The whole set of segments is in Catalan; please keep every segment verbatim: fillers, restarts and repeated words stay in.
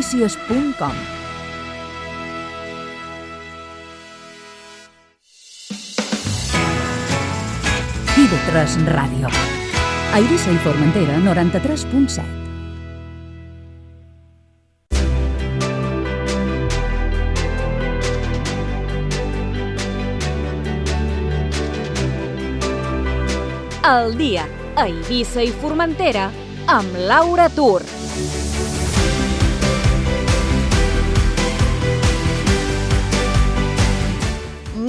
notícies punt com. i ve tres Ràdio. A Eivissa i Formentera, noranta-tres punt set. El dia a Eivissa i Formentera amb Laura Tur.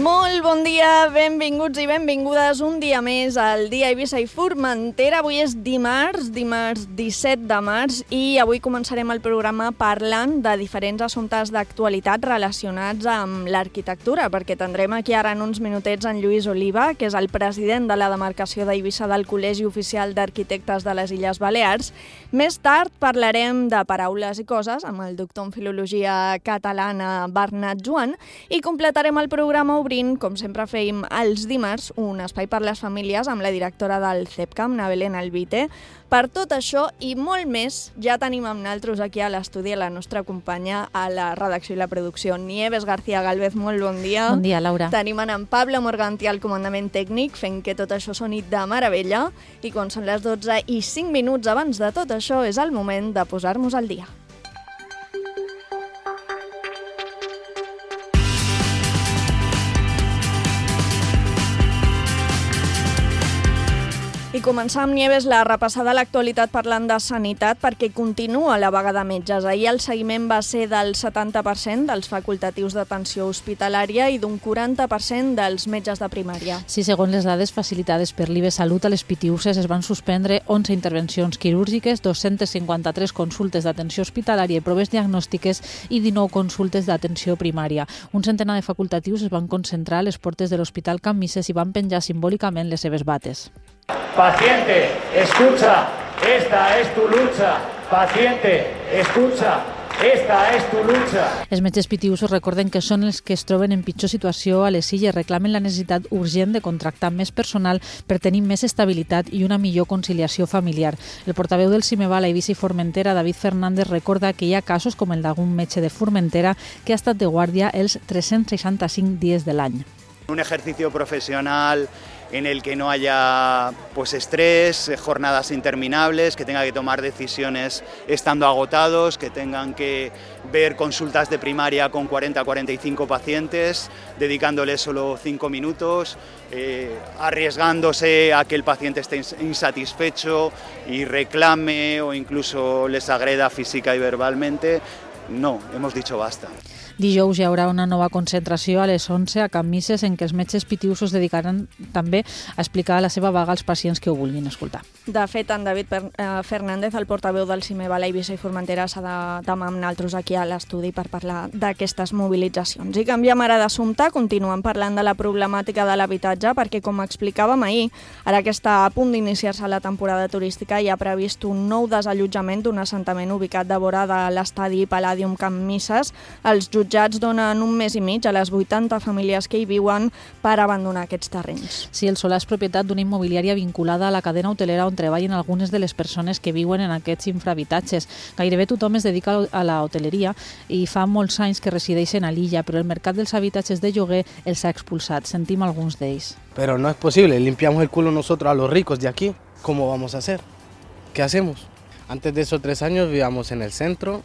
Molt bon dia, benvinguts i benvingudes un dia més al dia a Eivissa i Formentera. Avui és dimarts, dimarts disset de març, i avui començarem el programa parlant de diferents assumptes d'actualitat relacionats amb l'arquitectura, perquè tindrem aquí ara en uns minutets en Lluís Oliva, que és el president de la demarcació d'Eivissa del Col·legi Oficial d'Arquitectes de les Illes Balears. Més tard parlarem de paraules i coses amb el doctor en Filologia Catalana Bernat Joan i completarem el programa obrint, com sempre fèiem els dimarts, un espai per les famílies amb la directora del CEPCAM, na Belén Albite. Per tot això i molt més, ja tenim amb nosaltres aquí a l'estudi la nostra companya a la redacció i la producció, Nieves García Galvez. Molt bon dia. Bon dia, Laura. Tenim en Pablo Morganti al comandament tècnic, fent que tot això soni de meravella. I quan són les dotze i cinc minuts abans de tot això, és el moment de posar-nos al dia. I començar amb Nieves la repassada a l'actualitat parlant de sanitat, perquè continua la vaga de metges. Ahir el seguiment va ser del setanta per cent dels facultatius d'atenció hospitalària i d'un quaranta per cent dels metges de primària. Sí, segons les dades facilitades per l'I B Salut, a les Pitiüses es van suspendre onze intervencions quirúrgiques, dos-centes cinquanta-tres consultes d'atenció hospitalària i proves diagnòstiques i dinou consultes d'atenció primària. Un centenar de facultatius es van concentrar a les portes de l'Hospital Can Misses i van penjar simbòlicament les seves bates. Paciente, escucha, esta es tu lucha. Paciente, escucha, esta es tu lucha. Els metges pitiüsos recorden que són els que es troben en pitjor situació a les illes, reclamen la necessitat urgent de contractar més personal per tenir més estabilitat i una millor conciliació familiar. El portaveu del Cimeval a Eivissa i Formentera, David Fernández, recorda que hi ha casos com el d'algun metge de Formentera que ha estat de guàrdia els tres-cents seixanta-cinc dies de l'any. Un ejercicio profesional en el que no haya pues estrés, jornadas interminables, que tenga que tomar decisiones estando agotados, que tengan que ver consultas de primaria con cuarenta a cuarenta y cinco pacientes, dedicándoles solo cinco minutos, eh, arriesgándose a que el paciente esté insatisfecho y reclame o incluso les agreda física y verbalmente. No, hemos dicho basta. Dijous hi haurà una nova concentració a les onze a Can Misses en què els metges pitiüsos es dedicaran també a explicar la seva vaga als pacients que ho vulguin escoltar. De fet, en David Fernández, el portaveu del Cimeval a Eivissa i Formentera, s'ha de demà amb nosaltres aquí a l'estudi per parlar d'aquestes mobilitzacions. I canviem ara d'assumpte, continuem parlant de la problemàtica de l'habitatge, perquè, com explicàvem ahir, ara que està a punt d'iniciar-se la temporada turística, hi ha previst un nou desallotjament d'un assentament ubicat de vora de l'estadi Palladium Can Misses. Els jutjats donen un mes i mig a les vuitanta famílies que hi viuen per abandonar aquests terrenys. Sí, el solar és propietat d'una immobiliària vinculada a la cadena hotelera on treballen algunes de les persones que viuen en aquests infrahabitatges. Gairebé tothom es dedica a la hoteleria i fa molts anys que resideixen a l'illa, però el mercat dels habitatges de lloguer els ha expulsat. Sentim alguns d'ells. Pero no es posible, limpiamos el culo nosotros a los ricos de aquí. ¿Cómo vamos a hacer? ¿Qué hacemos? Antes de esos tres años vivíamos en el centro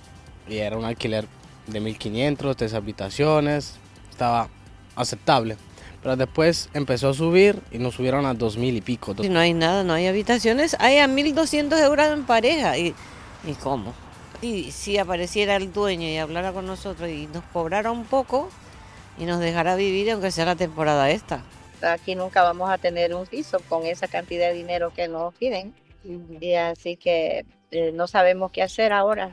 y era un alquiler de mil quinientos, tres habitaciones, estaba aceptable. Pero después empezó a subir y nos subieron a dos mil y pico. Si no hay nada, no hay habitaciones, hay a mil doscientos euros en pareja. ¿Y, ¿Y cómo? Y si apareciera el dueño y hablara con nosotros y nos cobrara un poco y nos dejara vivir, aunque sea la temporada esta. Aquí nunca vamos a tener un piso con esa cantidad de dinero que nos piden. Uh-huh. Y así que eh, no sabemos qué hacer ahora.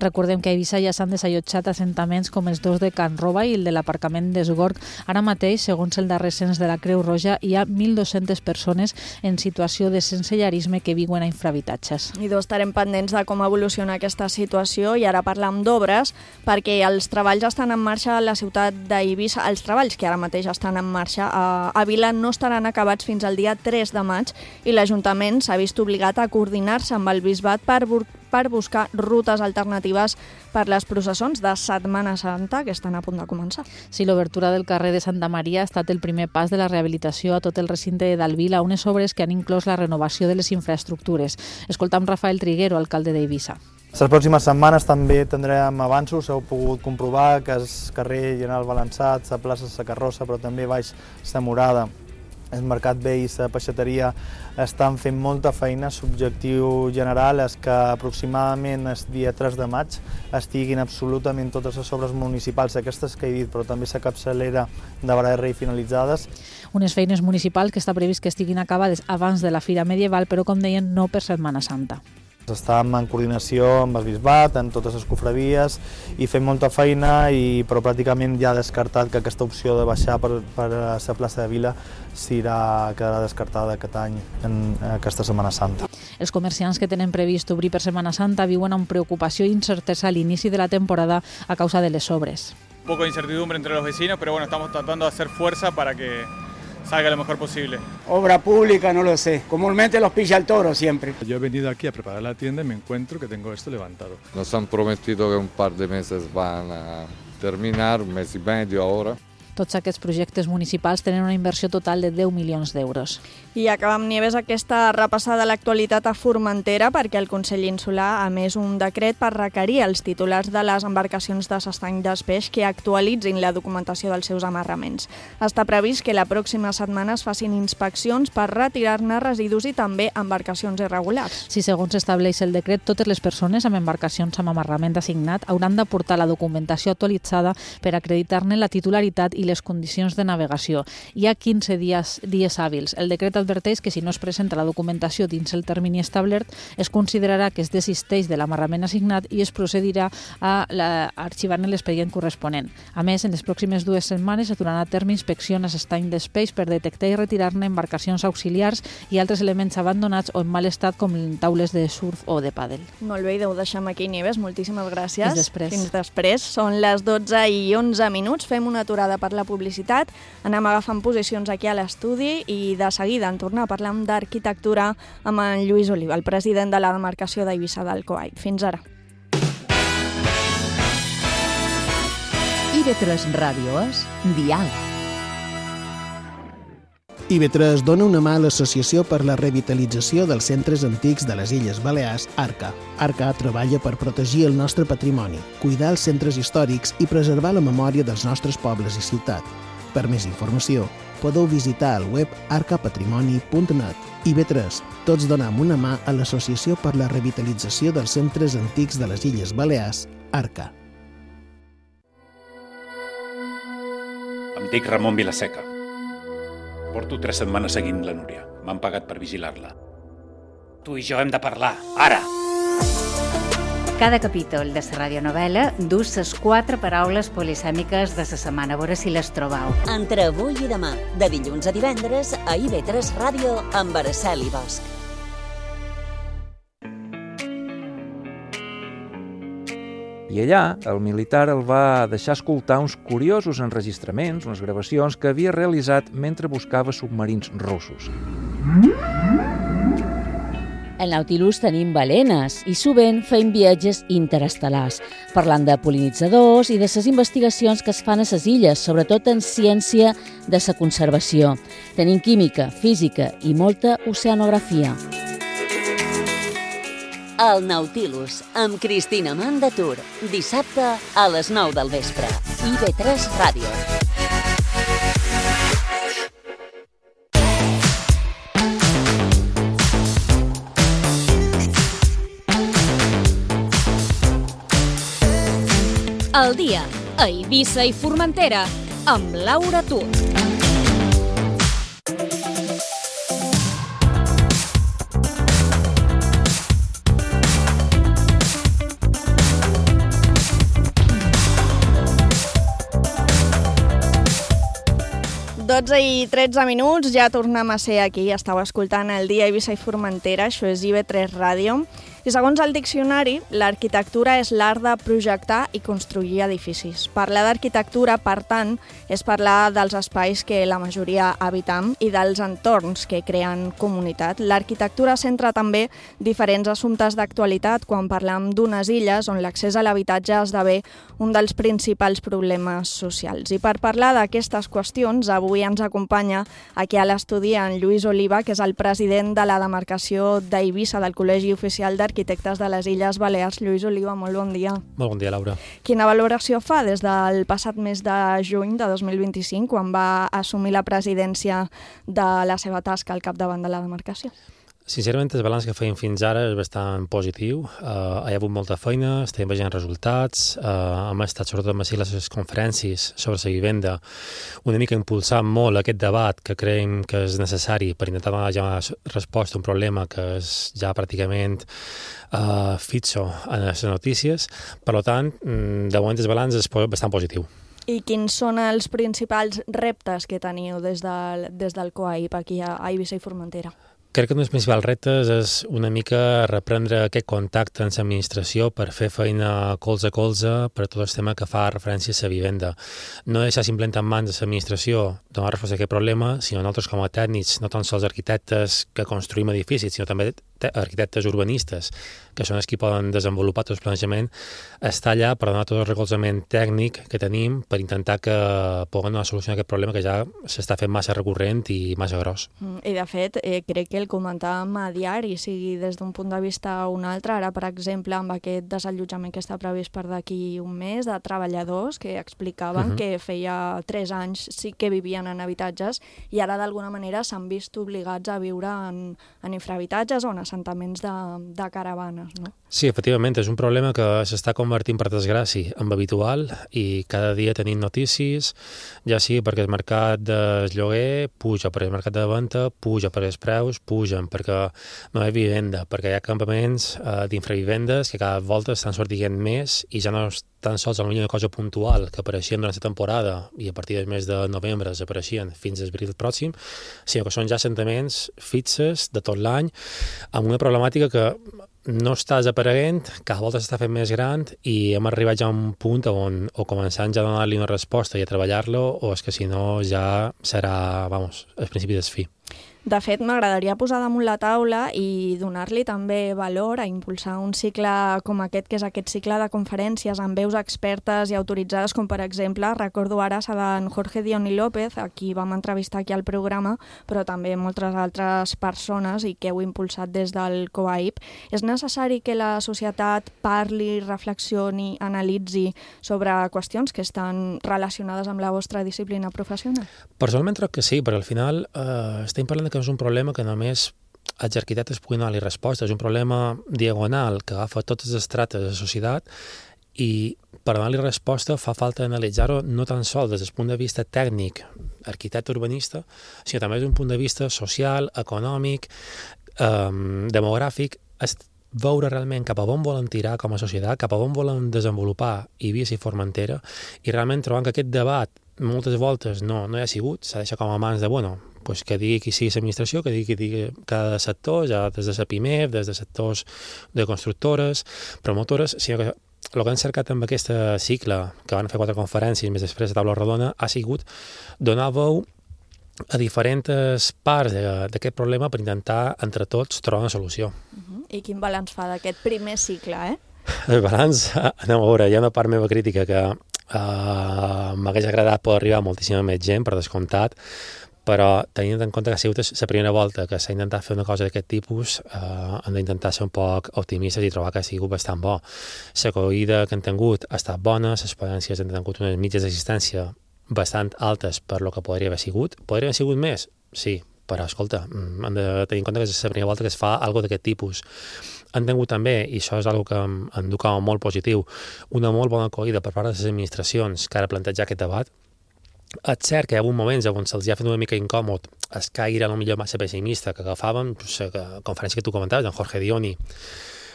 Recordem que a Eivissa ja s'han desallotjat assentaments com els dos de Can Roba i el de l'aparcament d'Esgorg. Ara mateix, segons el darrer cens de la Creu Roja, hi ha mil dues-centes persones en situació de sensellarisme que viuen a infrahabitatges. I doncs estarem pendents de com evoluciona aquesta situació i ara parlam d'obres, perquè els treballs estan en marxa a la ciutat d'Eivissa. Els treballs que ara mateix estan en marxa a, a Vila no estaran acabats fins al dia tres de maig i l'Ajuntament s'ha vist obligat a coordinar-se amb el Bisbat per, per buscar rutes alternatives per les processons de Setmana Santa que estan a punt de començar. Sí, l'obertura del carrer de Santa Maria ha estat el primer pas de la rehabilitació a tot el recinte de Dalvila, unes obres que han inclòs la renovació de les infraestructures. Escoltam Rafael Triguero, alcalde d'Eivissa. Les pròximes setmanes també tindrem avanços, heu pogut comprovar que el carrer General Balançat, la plaça Sa Carrossa, però també baix Sa Morada, el Mercat Vell i la peixateria estan fent molta feina. L'objectiu general és que aproximadament el dia tres de maig estiguin absolutament totes les obres municipals, aquestes que he dit, però també la capçalera de Barra i finalitzades. Unes feines municipals que està previst que estiguin acabades abans de la Fira Medieval, però com deien, no per Setmana Santa. Estàvem en coordinació amb el Bisbat, en totes les cofradies, i fem molta feina, i, però pràcticament ja ha descartat que aquesta opció de baixar per, per la plaça de Vila serà, quedarà descartada aquest any, en aquesta Setmana Santa. Els comerciants que tenen previst obrir per Setmana Santa viuen amb preocupació i incertesa a l'inici de la temporada a causa de les obres. Un poco de incertidumbre entre los vecinos, pero bueno, estamos tratando de hacer fuerza para que salga lo mejor posible. Obra pública, no lo sé. Comúnmente los pilla el toro siempre. Yo he venido aquí a preparar la tienda y me encuentro que tengo esto levantado. Nos han prometido que un par de meses van a terminar, un mes y medio ahora. Tots aquests projectes municipals tenen una inversió total de deu milions d'euros. I acabem, Nieves, aquesta repassada a l'actualitat a Formentera perquè el Consell Insular ha emès un decret per requerir als titulars de les embarcacions de s'estany d'espeix que actualitzin la documentació dels seus amarraments. Està previst que la pròxima setmana es facin inspeccions per retirar-ne residus i també embarcacions irregulars. Si segons estableix el decret, totes les persones amb embarcacions amb amarrament assignat hauran d'aportar la documentació actualitzada per acreditar-ne la titularitat i les condicions de navegació. Hi ha quinze dies, dies hàbils. El decret adverteix que si no es presenta la documentació dins el termini establert, es considerarà que es desisteix de l'amarrament assignat i es procedirà a arxivar-ne l'expedient corresponent. A més, en les pròximes dues setmanes es duran a terme inspeccions a l'estany d'espeix per detectar i retirar-ne embarcacions auxiliars i altres elements abandonats o en mal estat com taules de surf o de pàdel. Molt bé, i ho deixem aquí, Nieves. Moltíssimes gràcies. Fins després. Fins després. Són les dotze i onze minuts. Fem una aturada per la publicitat. Anem agafant posicions aquí a l'estudi i de seguida en tornar a parlar d'arquitectura amb en Lluís Oliva, el president de la demarcació d'Eivissa del Coall. Fins ara. I ve tres Ràdio és Dial. I ve tres dona una mà a l'Associació per la Revitalització dels Centres Antics de les Illes Balears, ARCA. ARCA treballa per protegir el nostre patrimoni, cuidar els centres històrics i preservar la memòria dels nostres pobles i ciutat. Per més informació, podeu visitar el web arca patrimoni punt net. I ve tres, tots donem una mà a l'Associació per la Revitalització dels Centres Antics de les Illes Balears, ARCA. Em dic Ramon Vilaseca. Porto tres setmanes seguint la Núria. M'han pagat per vigilar-la. Tu i jo hem de parlar, ara! Cada capítol de la radionovel·la du les quatre paraules polisèmiques de la setmana. A veure si les trobeu. Entre avui i demà, de dilluns a divendres, a I ve tres Ràdio amb Araceli Bosch. I allà, el militar el va deixar escoltar uns curiosos enregistraments, unes gravacions que havia realitzat mentre buscava submarins russos. Al Nautilus tenim balenes i sovint fem viatges interestel·lars, parlant de pol·linitzadors i de les investigacions que es fan a les illes, sobretot en ciència de la conservació. Tenim química, física i molta oceanografia. El Nautilus, amb Cristina Mandatur, dissabte a les nou del vespre. I ve tres Ràdio. El dia a Eivissa i Formentera amb Laura Tur. dotze i tretze minuts, ja tornem a ser aquí. Estàu escoltant el dia a Eivissa i Formentera, això és I ve tres Ràdio. I segons el diccionari, l'arquitectura és l'art de projectar i construir edificis. Parlar d'arquitectura, per tant, és parlar dels espais que la majoria habitam i dels entorns que creen comunitat. L'arquitectura centra també diferents assumptes d'actualitat quan parlam d'unes illes on l'accés a l'habitatge esdevé un dels principals problemes socials. I per parlar d'aquestes qüestions, avui ens acompanya aquí a l'estudi en Lluís Oliva, que és el president de la demarcació d'Eivissa del Col·legi Oficial d'Arquitectes de les Illes Balears. Lluís Oliva, molt bon dia. Molt bon dia, Laura. Quina valoració fa des del passat mes de juny de dos mil vint-i-cinc, quan va assumir la presidència de la seva tasca al capdavant de la demarcació? Sincerament, el balanç que feim fins ara és bastant positiu. Uh, hi ha hagut molta feina, estem veient resultats, uh, hem estat sobretot amb les conferències sobre la vivenda, una mica impulsant molt aquest debat que creiem que és necessari per intentar donar ja resposta a un problema que és ja pràcticament uh, fixo en les notícies. Per tant, de moment el balanç és bastant positiu. I quins són els principals reptes que teniu des del, des del COAIP aquí a Eivissa i Formentera? Crec que un dels principals reptes és una mica reprendre aquest contacte amb l'administració per fer feina colze a colze per tot el tema que fa referència a la vivenda. No deixar simplement en mans de l'administració donar resposta a aquest problema, sinó nosaltres com a tècnics, no tan sols arquitectes que construïm edificis, sinó també arquitectes urbanistes, que són els que poden desenvolupar tot el planejament, està allà per donar tot el recolzament tècnic que tenim per intentar que puguem donar solució a aquest problema que ja s'està fent massa recurrent i massa gros. I de fet, eh, crec que el comentàvem a diari, sigui des d'un punt de vista o un altre, ara per exemple amb aquest desallotjament que està previst per d'aquí un mes de treballadors que explicaven uh-huh. que feia tres anys sí que vivien en habitatges i ara d'alguna manera s'han vist obligats a viure en, en infrahabitatges o en assentaments de, de caravanes, no? Sí, efectivament, és un problema que s'està convertint, per desgràcia, en habitual i cada dia tenim notícies, ja sigui perquè el mercat del lloguer puja, perquè el mercat de venda puja, perquè els preus pugen, perquè no hi ha vivenda, perquè hi ha campaments eh, d'infravivendes que cada volta estan sortint més i ja no és tan sols una cosa puntual que apareixien durant la temporada i a partir del mes de novembre desapareixien fins a abril pròxim, sinó que són ja assentaments fixes de tot l'any amb una problemàtica que no està desapareguent, cada volta s'està fent més gran i hem arribat ja a un punt on o començant ja a donar-li una resposta i a treballar-lo o és que si no ja serà, vamos, el principi del fi. De fet, m'agradaria posar damunt la taula i donar-li també valor a impulsar un cicle com aquest, que és aquest cicle de conferències amb veus expertes i autoritzades, com per exemple, recordo ara la d'en Jorge Dioni López, a qui vam entrevistar aquí al programa, però també moltes altres persones i que heu impulsat des del COAIP. És necessari que la societat parli, reflexioni, analitzi sobre qüestions que estan relacionades amb la vostra disciplina professional? Personalment crec que sí, perquè al final eh, estem parlant de que és un problema que només els arquitectes puguin donar-li resposta. És un problema diagonal que agafa tots els estrates de la societat i per donar-li resposta fa falta analitzar-ho no tan sols des del punt de vista tècnic, arquitecte urbanista, sinó també des d'un punt de vista social, econòmic, eh, demogràfic, veure realment cap a on volen tirar com a societat, cap a on volen desenvolupar Eivissa i Formentera i realment trobant que aquest debat moltes voltes no, no hi ha sigut, s'ha deixat com a mans de, bueno, pues que digui qui sigui l'administració, que digui qui digui cada sector, ja des de la PIMEF, des de sectors de constructores, promotores, sinó que el que han cercat amb aquest cicle, que van fer quatre conferències més després de taula rodona, ha sigut donar veu a diferents parts d'aquest problema per intentar, entre tots, trobar una solució. Uh-huh. I quin balanç fa d'aquest primer cicle, eh? El balanç, anem a veure, hi ha una part meva crítica que uh, m'hagués agradat poder arribar a moltíssima més gent, per descomptat, però tenint en compte que ha sigut la primera volta que s'ha intentat fer una cosa d'aquest tipus, eh, hem d'intentar ser un poc optimistes i trobar que ha sigut bastant bo. L'acollida que han tingut ha estat bona, les experiències han tingut unes mitges d'assistència bastant altes per lo que podria haver sigut. Podria haver sigut més? Sí, però escolta, hem de tenir en compte que és la primera volta que es fa alguna d'aquest tipus. Han tingut també, i això és una que em, em duca molt positiu, una molt bona acollida per part de les administracions que ara plantejar aquest debat. És cert que hi ha hagut moments on se'ls ha fet una mica incòmod el caire a lo millor massa pessimista que agafàvem, la conferència que tu comentaves, en Jorge Dioni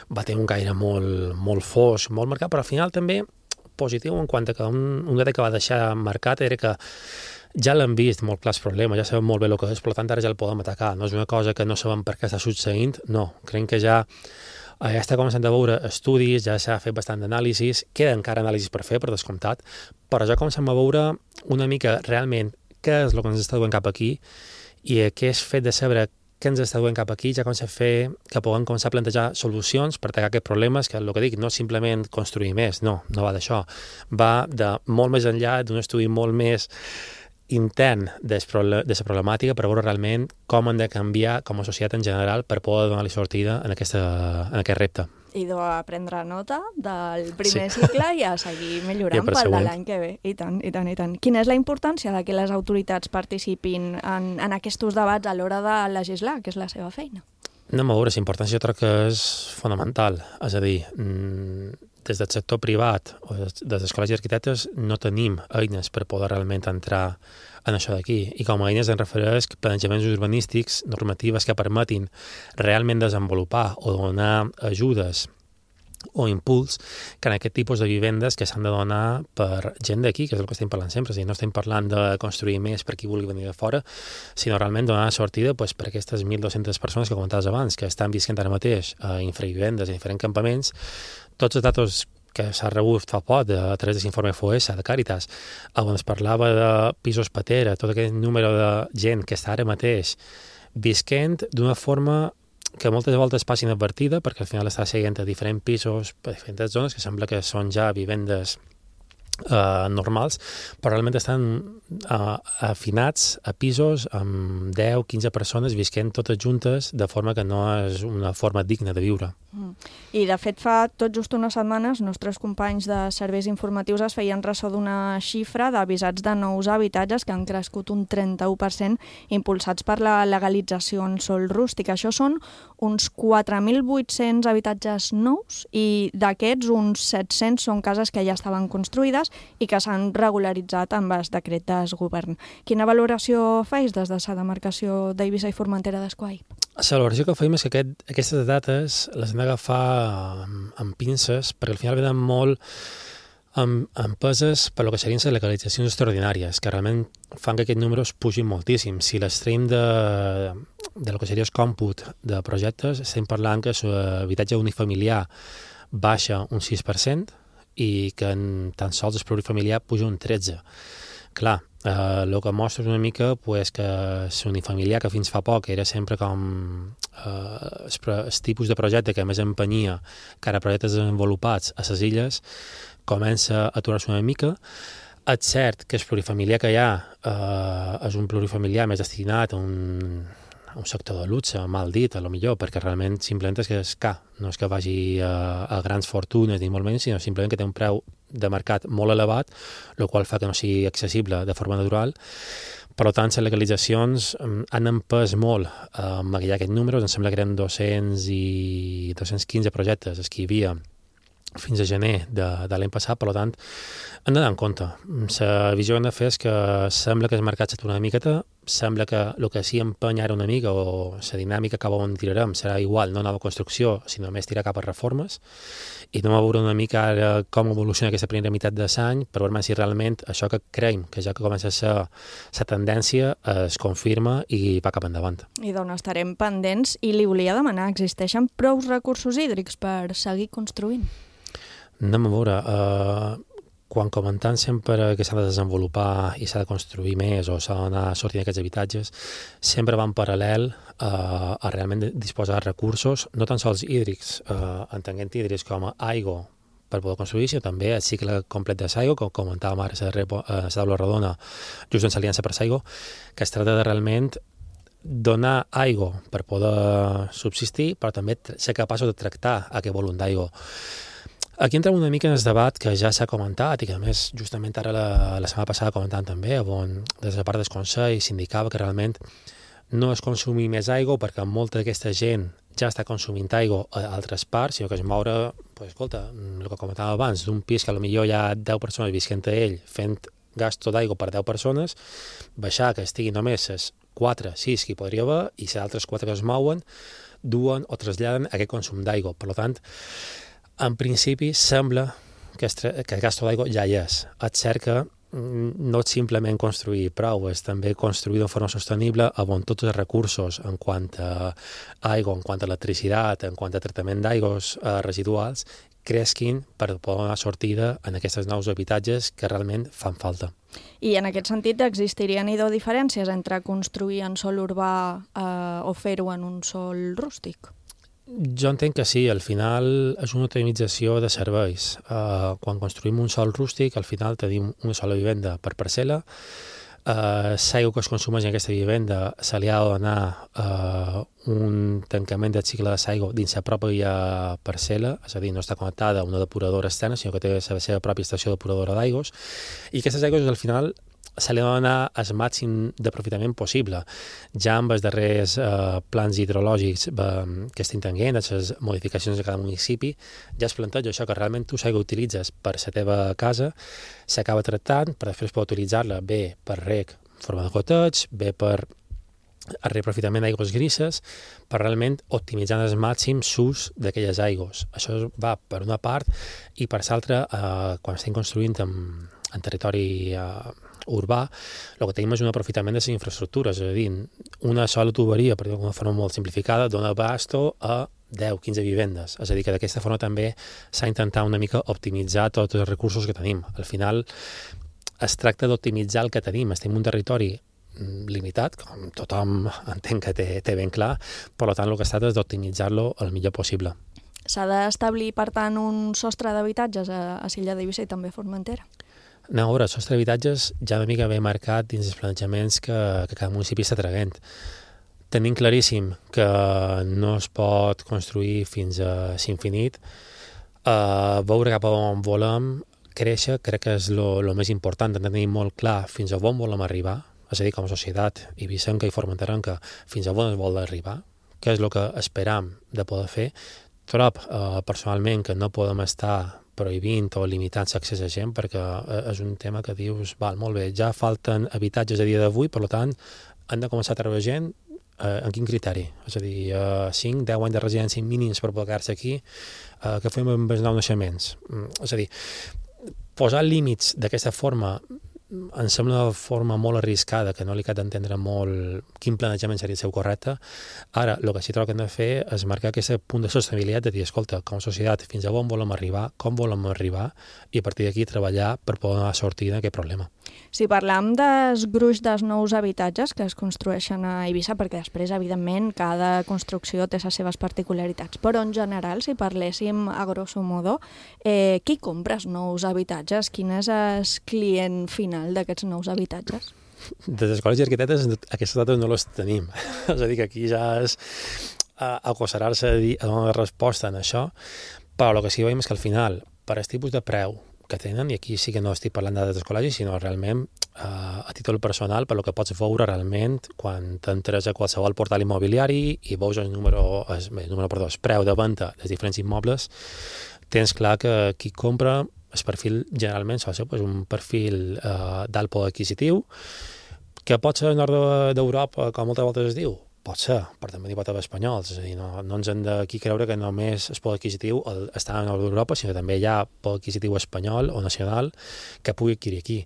va tenir un caire molt, molt fosc, molt marcat, però al final també positiu en quant a que un, un dret que va deixar marcat era que ja l'hem vist molt clars problemes, ja sabem molt bé el que és, per tant ara ja el podem atacar, no és una cosa que no sabem per què està succeint, no, creiem que ja Ja està començant a veure estudis, ja s'ha fet bastant d'anàlisis, queda encara anàlisis per fer, per descomptat, però ja comencem a veure una mica realment què és el que ens està duent cap aquí i aquest fet de saber què ens està duent cap aquí ja comença a fer que puguem començar a plantejar solucions per atacar aquests problemes, que el que dic, no simplement construir més, no, no va d'això. Va de molt més enllà d'un estudi molt més intern de la problemàtica per veure realment com hem de canviar com a societat en general per poder donar-li sortida en, aquesta, en aquest repte. I de prendre nota del primer sí. cicle i a seguir millorant pel de l'any que ve. I tant, i tant, i tant. Quina és la importància de que les autoritats participin en, en aquests debats a l'hora de legislar, que és la seva feina? No, a veure, la importància jo crec que és fonamental. És a dir, des del sector privat o des dels col·legis d'arquitectes no tenim eines per poder realment entrar en això d'aquí. I com a eines en refereix planejaments urbanístics, normatives que permetin realment desenvolupar o donar ajudes o impuls que en aquest tipus de vivendes que s'han de donar per gent d'aquí, que és el que estem parlant sempre. O sigui, no estem parlant de construir més per qui vulgui venir de fora, sinó realment donar sortida pues, per aquestes mil dues-centes persones que comentaves abans, que estan visquent ara mateix a infravivendes, a diferents campaments. Tots els datos que s'ha rebut fa poc a través de l'informe F O S de Càritas, on es parlava de pisos patera, tot aquest número de gent que està ara mateix visquent d'una forma que moltes voltes passa inadvertida, perquè al final està seguint a diferents pisos, a diferents zones, que sembla que són ja vivendes Uh, normals, però realment estan uh, afinats a pisos amb deu a quinze persones visquent totes juntes de forma que no és una forma digna de viure. Mm. I de fet fa tot just unes setmanes nostres companys de serveis informatius es feien ressò d'una xifra d'avisats de nous habitatges que han crescut un trenta-u per cent impulsats per la legalització en sòl rústic. Això són uns quatre mil vuit-cents habitatges nous i d'aquests uns set-cents són cases que ja estaven construïdes i que s'han regularitzat amb el decret de govern. Quina valoració feis des de la demarcació d'Eivissa i Formentera d'Esquai? La valoració que fem és que aquest, aquestes dates les hem d'agafar amb, amb pinces, perquè al final venen molt amb, amb peses per lo que serien les legalitzacions extraordinàries, que realment fan que aquests números pugin moltíssim. Si l'extrem de, de lo que seria el còmput de projectes, estem parlant que l'habitatge unifamiliar baixa un sis per cent, i que en tan sols el plurifamiliar puja un tretze. Clar, eh, el que mostra una mica pues, que l'unifamiliar, que fins fa poc era sempre com eh, el tipus de projecte que més empenyia cara a projectes desenvolupats a les illes, comença a aturar-se una mica. És cert que el plurifamiliar que hi ha eh, és un plurifamiliar més destinat a un un sector de luxe, mal dit, a lo millor, perquè realment simplement és que és car, no és que vagi a, a grans fortunes ni molt menys, sinó simplement que té un preu de mercat molt elevat, el qual fa que no sigui accessible de forma natural. Per tant, les legalitzacions han empès molt a maquillar aquests números. Em sembla que eren dos-cents i dos-cents quinze projectes els que hi havia fins a gener de, de l'any passat, per tant, hem d'anar en compte. La visió que hem de fer és que sembla que el mercat s'atura una miqueta, sembla que el que sí empeny ara una mica, o la dinàmica cap on tirarem, serà igual, no nova construcció, sinó més tirar cap a reformes, i anem a veure una mica ara com evoluciona aquesta primera meitat de l'any, per veure si realment això que creiem, que ja que comença a ser la tendència, es confirma i va cap endavant. I d'on estarem pendents, i li volia demanar, existeixen prou recursos hídrics per seguir construint? Anem a veure, uh, quan comentant sempre que s'ha de desenvolupar i s'ha de construir més o s'ha d'anar sortint d'aquests habitatges, sempre va en paral·lel uh, a realment disposar de recursos, no tan sols hídrics, uh, entenent hídrics com a aigua per poder construir, sinó també el cicle complet de l'aigua, com comentàvem ara a la taula rodona, just en l'Aliança per l'Aigua, que es tracta de realment donar aigua per poder subsistir, però també ser capaços de tractar aquest volum d'aigua. Aquí entrem una mica en el debat que ja s'ha comentat i que a més justament ara la, la setmana passada comentàvem també, on des de la part del Consell s'indicava que realment no es consumir més aigua perquè molta d'aquesta gent ja està consumint aigua a altres parts, sinó que es moure, pues, escolta, el que comentàvem abans, d'un pis que potser hi ha deu persones visquent a ell fent gasto d'aigua per deu persones, baixar que estigui només les quatre, sis que hi podria haver i les altres quatre que es mouen duen o traslladen aquest consum d'aigua. Per tant, en principi, sembla que el gasto d'aigua ja hi és. És cert que no és simplement construir prou, és també construir de forma sostenible on tots els recursos en quant a aigua, en quant a electricitat, en quant a tractament d'aigües eh, residuals, cresquin per poder donar sortida en aquests nous habitatges que realment fan falta. I en aquest sentit existirien idò diferències entre construir en sòl urbà eh, o fer-ho en un sòl rústic? Jo entenc que sí, al final és una optimització de serveis. Uh, quan construïm un sòl rústic, al final tenim una sola vivenda per parcel·la. Uh, L'aigua que es consumeix en aquesta vivenda se li ha de donar uh, un tancament del cicle de l'aigua dins la pròpia parcel·la, és a dir, no està connectada a una depuradora externa, sinó que té la seva pròpia estació depuradora d'aigües, i aquestes aigües al final se li ha de donar el màxim d'aprofitament possible. Ja amb els darrers eh, plans hidrològics eh, que estem tenint, les modificacions de cada municipi, ja es planteja això, que realment tu l'aigua utilitzes per la teva casa, s'acaba tractant, per després poder utilitzar-la bé per reg en forma de goteig, bé per el reaprofitament d'aigües grises, per realment optimitzar al màxim l'ús d'aquelles aigües. Això va per una part, i per l'altra, eh, quan estem construint en, en territori eh, urbà, el que tenim és un aprofitament de les infraestructures, és a dir, una sola tuberia, per dir d'una forma molt simplificada, dona abasto a deu a quinze vivendes, és a dir, que d'aquesta forma també s'ha intentat una mica optimitzar tots els recursos que tenim. Al final es tracta d'optimitzar el que tenim, estem en un territori limitat, com tothom entenc que té, té ben clar, per tant el que es tracta és d'optimitzar-lo el millor possible. S'ha d'establir, per tant, un sostre d'habitatges a, a Silla d'Eivissa i també a Formentera? No, a veure, el sostre d'habitatges ja una mica ben marcat dins els planejaments que, que cada municipi està traient. Tenim claríssim que no es pot construir fins a l'infinit. Uh, veure cap a on volem créixer crec que és el més important, tenir molt clar fins a on volem arribar, és a dir, com a societat eivissenca i formenterenca, fins a on es vol arribar, què és el que esperam de poder fer. Trob, uh, personalment, que no podem estar prohibint o limitant l'accés a gent, perquè és un tema que dius, val, molt bé, ja falten habitatges a dia d'avui, per tant, han de començar a treure gent eh, en quin criteri? És a dir, eh, cinc, deu anys de residència mínims per poder quedar-se aquí, eh, que fem amb els nous naixements. Mm, és a dir, posar límits d'aquesta forma em sembla una forma molt arriscada, que no li cal d'entendre molt quin planejament seria el seu correcte. Ara, el que sí trobo que hem de fer és marcar aquest punt de sostenibilitat, de dir, escolta, com a societat, fins a on volem arribar, com volem arribar, i a partir d'aquí treballar per poder donar sortida a aquest problema. Si parlam dels gruix dels nous habitatges que es construeixen a Eivissa, perquè després, evidentment, cada construcció té les seves particularitats, però en general, si parléssim a grosso modo, eh, qui compra els nous habitatges? Quin és el client final d'aquests nous habitatges? Des d'escoles i arquitectes aquestes dades no les tenim. És a dir, que aquí ja és uh, acosserar-se a, dir, a donar resposta en això, però el que sí que veiem és que al final, per el tipus de preu que tenen, i aquí sí que no estic parlant de dades col·legis, sinó realment uh, a títol personal, per el que pots veure realment quan t'entres a qualsevol portal immobiliari i veus el número, el, el, número, perdó, el preu de venda dels diferents immobles, tens clar que qui compra el perfil generalment sol ser pues, un perfil eh, d'alt poder adquisitiu, que pot ser al nord d'Europa, com moltes voltes es diu, pot ser, però també n'hi pot haver espanyols, és a dir, no, no ens hem d'aquí creure que només el poder adquisitiu està al nord d'Europa, sinó que també hi ha poder adquisitiu espanyol o nacional que pugui adquirir aquí.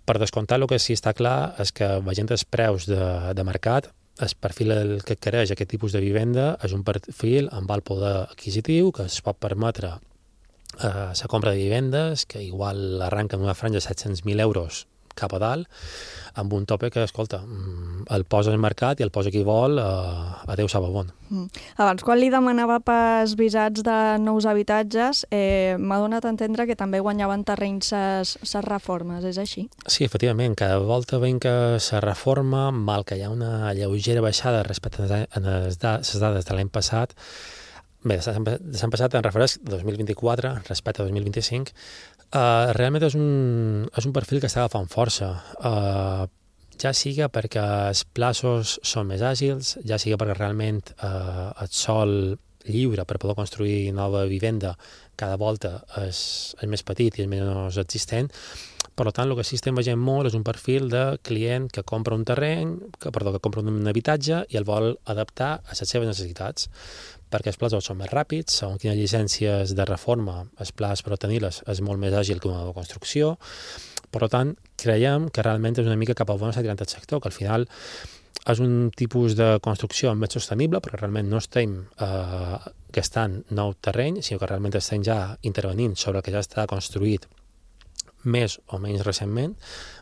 Per descomptar, el que sí està clar és que veient els preus de, de mercat, el perfil que adquireix aquest tipus de vivenda és un perfil amb alt poder adquisitiu que es pot permetre Uh, la compra de vivendes, que igual arranca en una franja de set-cents mil euros cap a dalt, amb un tope que, escolta, el posa al mercat i el posa qui vol, uh, adeu sap on. Mm. Abans, quan li demanava pels visats de nous habitatges, eh, m'ha donat a entendre que també guanyaven terrenys les reformes, és així? Sí, efectivament, cada volta veiem que se reforma, mal que hi ha una lleugera baixada respecte a les dades de l'any passat. Bé, s'han passat en refereix dos mil vint-i-quatre respecte a dos mil vint-i-cinc. Uh, realment és un, és un perfil que està agafant força. Uh, ja siga perquè els plaços són més àgils, ja siga perquè realment uh, el sòl lliure per poder construir nova vivenda cada volta és, és més petit i és menys existent. Per tant, el que sí estem veient molt és un perfil de client que compra un terreny, que, perdó, que compra un habitatge i el vol adaptar a les seves necessitats, perquè els plans són més ràpids, segons quines llicències de reforma, els plans per obtenir-les és molt més àgil que una nova construcció. Per tant, creiem que realment és una mica cap a on s'ha tirat el sector, que al final és un tipus de construcció més sostenible, perquè realment no estem eh, gastant nou terreny, sinó que realment estem ja intervenint sobre el que ja està construït més o menys recentment.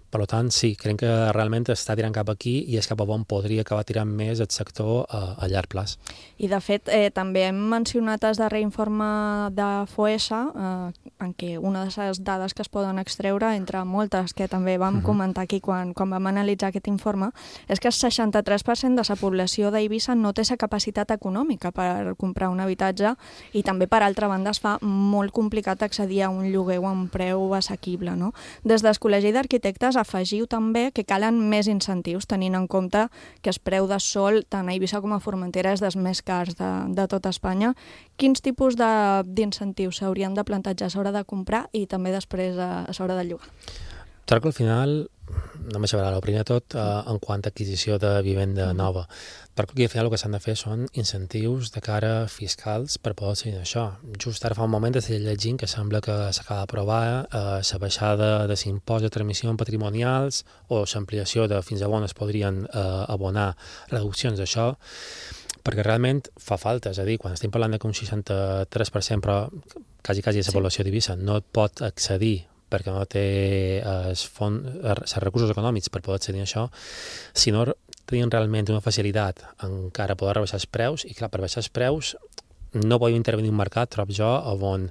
Per tant, sí, crec que realment està tirant cap aquí i és cap a on podria acabar tirant més el sector a, a llarg plaç. I, de fet, eh, també hem mencionat el darrer informe de Foessa, eh, en què una de les dades que es poden extreure, entre moltes que també vam uh-huh. comentar aquí quan, quan vam analitzar aquest informe, és que el seixanta-tres per cent de la població d'Eivissa no té la capacitat econòmica per comprar un habitatge i també, per altra banda, es fa molt complicat accedir a un lloguer a un preu assequible. No? Des del Col·legi d'Arquitectes afegiu també que calen més incentius, tenint en compte que el preu de sòl, tant a Eivissa com a Formentera, és dels més cars de, de tot Espanya. Quins tipus d'incentius s'haurien de plantejar a l'hora de comprar i també després a, a l'hora de llogar? Trobo que al final, no m'aixevarà, el primer de tot, eh, en quant a adquisició de vivenda nova. Trobo que al final el que s'han de fer són incentius de cara fiscals per poder seguir això. Just ara fa un moment estic llegint que sembla que s'acaba d'aprovar eh, la baixada de l'impost de transmissions patrimonials o l'ampliació de fins a on es podrien eh, abonar reduccions d'això, perquè realment fa falta, és a dir, quan estem parlant que un seixanta-tres per cent, però quasi, quasi la població d'Eivissa no pot accedir perquè no té els fons, els recursos econòmics per poder accedir a això, si no tenien realment una facilitat encara poder rebaixar els preus, i clar, per baixar els preus no podem intervenir un mercat, trobo jo, on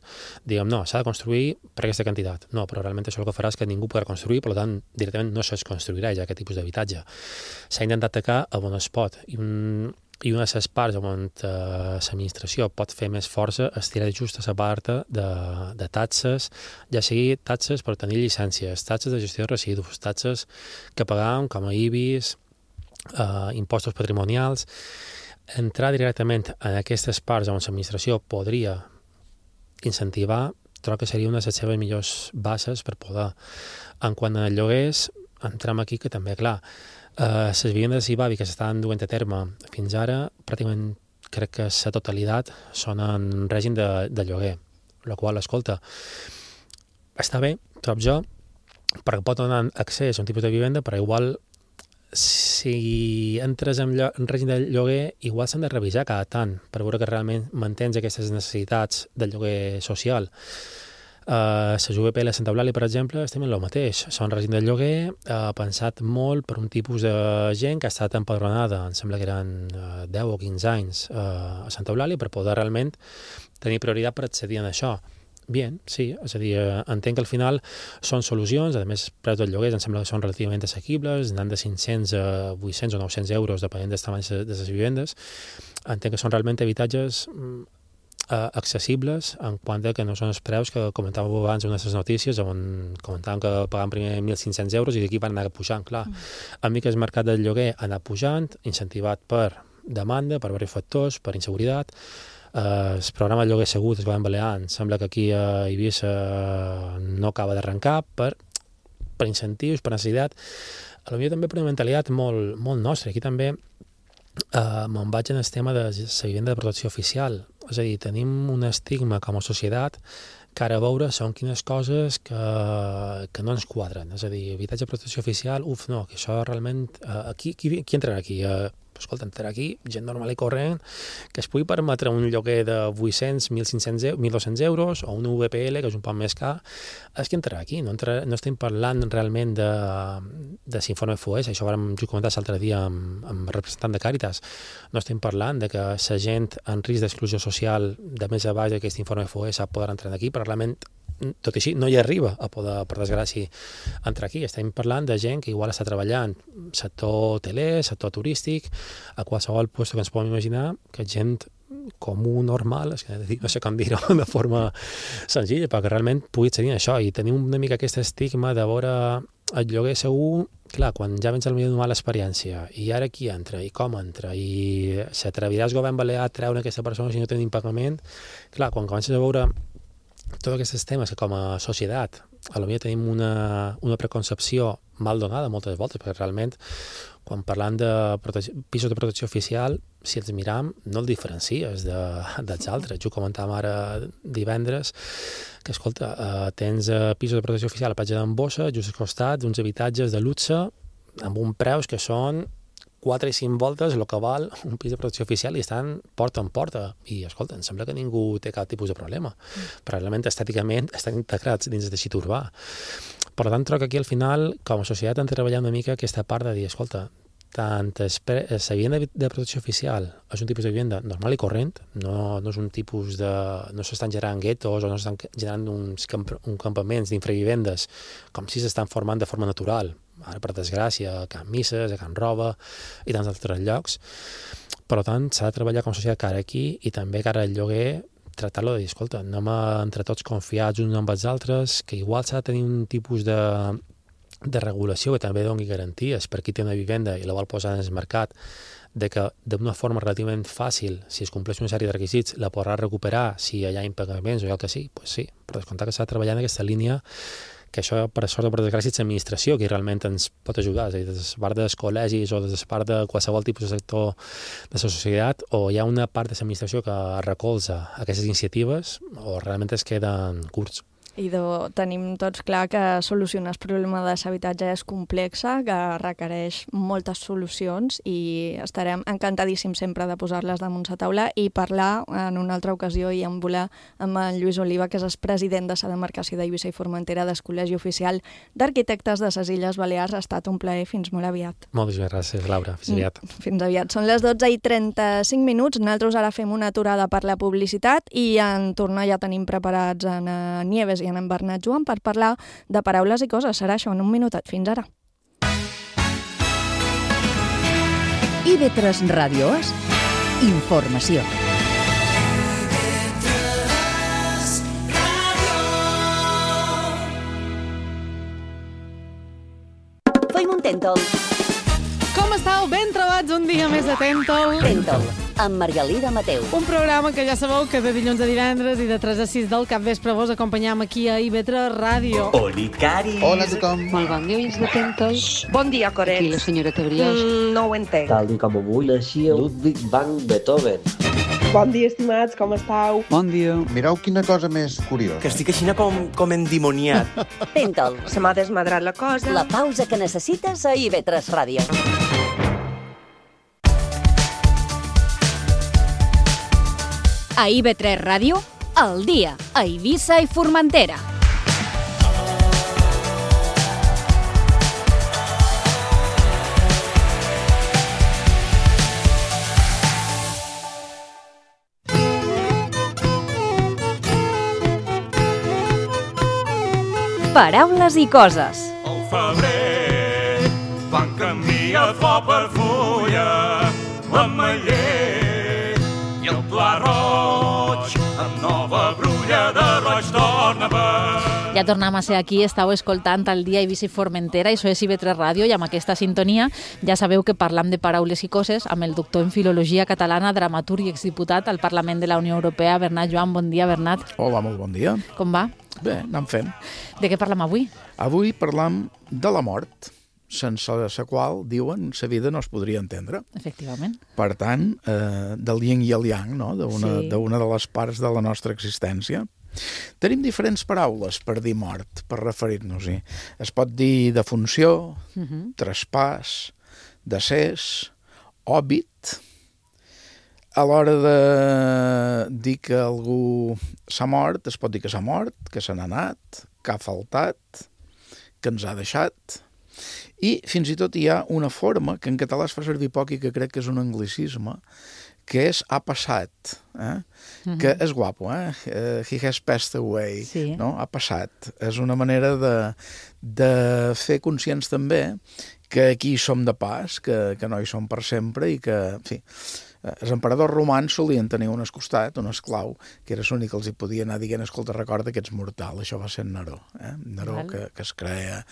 diguem, no, s'ha de construir per aquesta quantitat. No, però realment això el que farà és que ningú podrà construir, per tant, directament no es construirà ja aquest tipus d'habitatge. S'ha intentat atacar a on es pot, i un i una de les parts on eh, l'administració pot fer més força és tirar just a la part de, de taxes, ja sigui taxes per tenir llicències, taxes de gestió de residus, taxes que pagàvem com a I B I S, eh, impostos patrimonials, entrar directament en aquestes parts on l'administració podria incentivar, trobo que seria una de les seves millors bases per poder. En quant a lloguers, entrem aquí que també, clar, Uh, les vivendes I B A B I que s'estan duent a terme fins ara, pràcticament crec que la totalitat són en règim de, de lloguer, la qual, escolta, està bé, trobo jo, perquè pot donar accés a un tipus de vivenda, però igual si entres en, en règim de lloguer, igual s'han de revisar cada tant per veure que realment mantens aquestes necessitats de lloguer social. Uh, les U V P i la Santa Eulàlia, per exemple, estem en el mateix. Són règim de lloguer, uh, pensat molt per un tipus de gent que ha estat empadronada, em sembla que eren uh, deu o quinze anys uh, a Santa Eulàlia, per poder realment tenir prioritat per accedir a això. Bien, sí, és a dir, uh, entenc que al final són solucions, a més, preus del lloguer em sembla que són relativament assequibles, anant de cinc-cents a vuit-cents o nou-cents euros, depenent dels tamanys de les vivendes. Entenc que són realment habitatges Uh, accessibles en quant que no són els preus que comentàvem abans en unes notícies on comentàvem que pagaven primer mil cinc-cents euros i d'aquí van anar pujant, clar. Mm. A mi que el mercat del lloguer ha anat pujant, incentivat per demanda, per diversos factors, per inseguretat. Uh, el programa de lloguer segur es va en Balears, sembla que aquí a Eivissa no acaba d'arrencar per, per incentius, per necessitat. A lo millor també per una mentalitat molt, molt nostra. Aquí també Uh, me'n vaig en el tema de la vivenda de protecció oficial. És a dir, tenim un estigma com a societat que ara a veure són quines coses que, que no ens quadren. És a dir, habitatge de protecció oficial, uf, no, que això realment... Uh, qui, qui, qui entrarà aquí? Uh, escolta, entrarà aquí gent normal i corrent que es pugui permetre un lloguer de vuit-cents, mil cinc-cents, mil dos-cents euros o un V P L, que és un poc més car, és que entrarà aquí. No, entrarà, no estem parlant realment de, de l'informe F O E S, això ho vam comentar l'altre dia amb, amb el representant de Càritas. No estem parlant de que la gent en risc d'exclusió social de més a baix d'aquest informe F O E S podrà entrar aquí, però realment tot i així no hi arriba a poder, per desgràcia, entrar aquí. Estem parlant de gent que igual està treballant sector hoteler, sector turístic, a qualsevol lloc que ens podem imaginar, que gent comú, normal, és que no sé com dir-ho de forma senzilla, perquè realment pugui accedir a això. I tenim una mica aquest estigma de veure el lloguer segur, clar, quan ja vens al millor d'una mala experiència, i ara qui entra, i com entra, i s'atreviràs el govern balear a treure aquesta persona si no tenim pagament. Clar, quan comences a veure tots aquests temes que com a societat a lo millor tenim una, una preconcepció mal donada moltes voltes, perquè realment quan parlant de protecció, pisos de protecció oficial, si els miram, no el diferencies de, dels altres. Jo comentàvem ara divendres que, escolta, eh, tens eh, pisos de protecció oficial a Platja d'en Bossa, just al costat d'uns habitatges de luxe amb un preus que són quatre i cinc voltes el que val un pis de protecció oficial i estan porta en porta. I, escolta, em sembla que ningú té cap tipus de problema. Mm. Probablement, estèticament, estan integrats dins del teixit urbà. Per tant, trobo que aquí, al final, com a societat, hem de treballar una mica aquesta part de dir, escolta, tant la vivienda de protecció oficial és un tipus de vivienda normal i corrent, no, no és un tipus de... no s'estan generant guetos o no s'estan generant uns, camp, uns campaments d'infravivendes com si s'estan formant de forma natural. Ara, per desgràcia, a Can Misses, a Can Roba i tants altres llocs. Per tant, s'ha de treballar com a societat cara aquí i també cara al lloguer, tractar-lo de dir, escolta, anem a, entre tots confiats uns amb els altres, que igual s'ha de tenir un tipus de, de regulació que també doni garanties per qui té una vivenda i la vol posar en el mercat, de que d'una forma relativament fàcil, si es compleix una sèrie de requisits, la podrà recuperar si hi ha impagaments o el que sigui, doncs sí, però descomptar que s'ha de treballar en aquesta línia, que això, per sort o per desgràcia, és l'administració que realment ens pot ajudar, és a dir, des de part dels col·legis o des de part de qualsevol tipus de sector de la societat, o hi ha una part de l'administració que recolza aquestes iniciatives o realment es queden curts. I de, tenim tots clar que solucionar el problema de l'habitatge és complexa, que requereix moltes solucions i estarem encantadíssims sempre de posar-les damunt la taula i parlar en una altra ocasió i en volar amb en Lluís Oliva, que és el president de la demarcació d'Eivissa i Formentera del Col·legi Oficial d'Arquitectes de les Illes Balears. Ha estat un plaer. Fins molt aviat. Moltes gràcies, Laura. Fins aviat. Fins aviat. Són les dotze i trenta-cinc minuts. Nosaltres ara fem una aturada per la publicitat i en tornar ja tenim preparats en Nieves i en Bernat Joan per parlar de paraules i coses. Serà això en un minutet. Fins ara. I ve tres Ràdio És informació. Feim un Tèntol. Com estàu? Ben trobats un dia més de Tèntol. Tèntol, amb Margalida Mateu. Un programa que ja sabeu que de dilluns a divendres i de tres a sis del capvespre vos acompanyam aquí a I V tres Ràdio. Oli, Cari. Hola a tothom. Molt bon dia, oients de Tèntol. Bon dia, Coret. Aquí la senyora Tebriós. Mm, no ho entenc. Tal i com avui naixia Ludwig van Beethoven. Bon dia, estimats, com estàu? Bon dia. Mireu quina cosa més curiosa. Que estic així com, com endimoniat. Tèntol. Se m'ha desmadrat la cosa. La pausa que necessites a I V tres Ràdio. A I V tres Ràdio, al dia, a Eivissa i Formentera. Paraules i coses. Al febrer van canviar flor per fulla, l'ametller i el pla roig, amb nova brulla de roig torna per... Ja tornem a ser aquí, estàu escoltant el dia Eivissa i Formentera, això és I V tres Ràdio, i amb aquesta sintonia ja sabeu que parlam de paraules i coses amb el doctor en Filologia Catalana, dramaturg i exdiputat al Parlament de la Unió Europea, Bernat Joan. Bon dia, Bernat. Hola, molt bon dia. Com va? Bé, anem fent. De què parlam avui? Avui parlam de la mort, sense la qual, diuen, la vida no es podria entendre. Efectivament. Per tant, eh, del yin i el yang, no? d'una sí. de les parts de la nostra existència. Tenim diferents paraules per dir mort, per referir-nos-hi. Es pot dir defunció, uh-huh. traspàs, decés, òbit. A l'hora de dir que algú s'ha mort, es pot dir que s'ha mort, que se n'ha anat, que ha faltat, que ens ha deixat. I fins i tot hi ha una forma que en català es fa servir poc i que crec que és un anglicisme, que és ha passat, eh? uh-huh. que és guapo, eh? Uh, he has passed away, sí. no? Ha passat. És una manera de, de fer conscients també que aquí som de pas, que, que no hi som per sempre i que, en fi, els emperadors romans solien tenir un escostat, un esclau, que era l'únic que els hi podia anar dient, escolta, recorda que ets mortal. Això va ser Neró, eh? Neró que, que es creia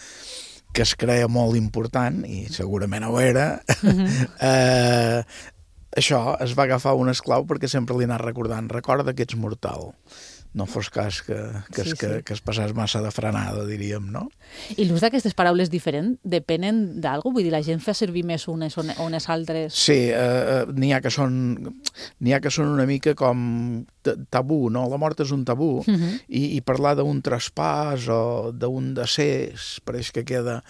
que es creia molt important, i segurament ho era. Uh-huh. eh, això es va agafar un esclau perquè sempre li anava recordant, recorda que ets mortal. no fos cas que, que, Sí, es, que, sí. que es passés massa de frenada, diríem, no? I l'ús d'aquestes paraules diferent depenen d'algú? Vull dir, la gent fa servir més unes o unes altres? Sí, eh, n'hi ha que són n'hi ha que són una mica com tabú, no? La mort és un tabú, uh -huh. i, i parlar d'un traspàs o d'un decés pareix que queda,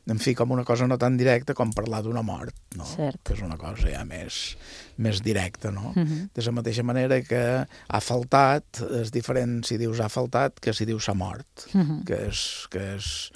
en fi, com una cosa no tan directa com parlar d'una mort, no? Cert. Que és una cosa ja més, més directa, no? Uh -huh. De la mateixa manera que ha faltat, és diferent si dius ha faltat que si dius s'ha mort, uh -huh. que és... Que és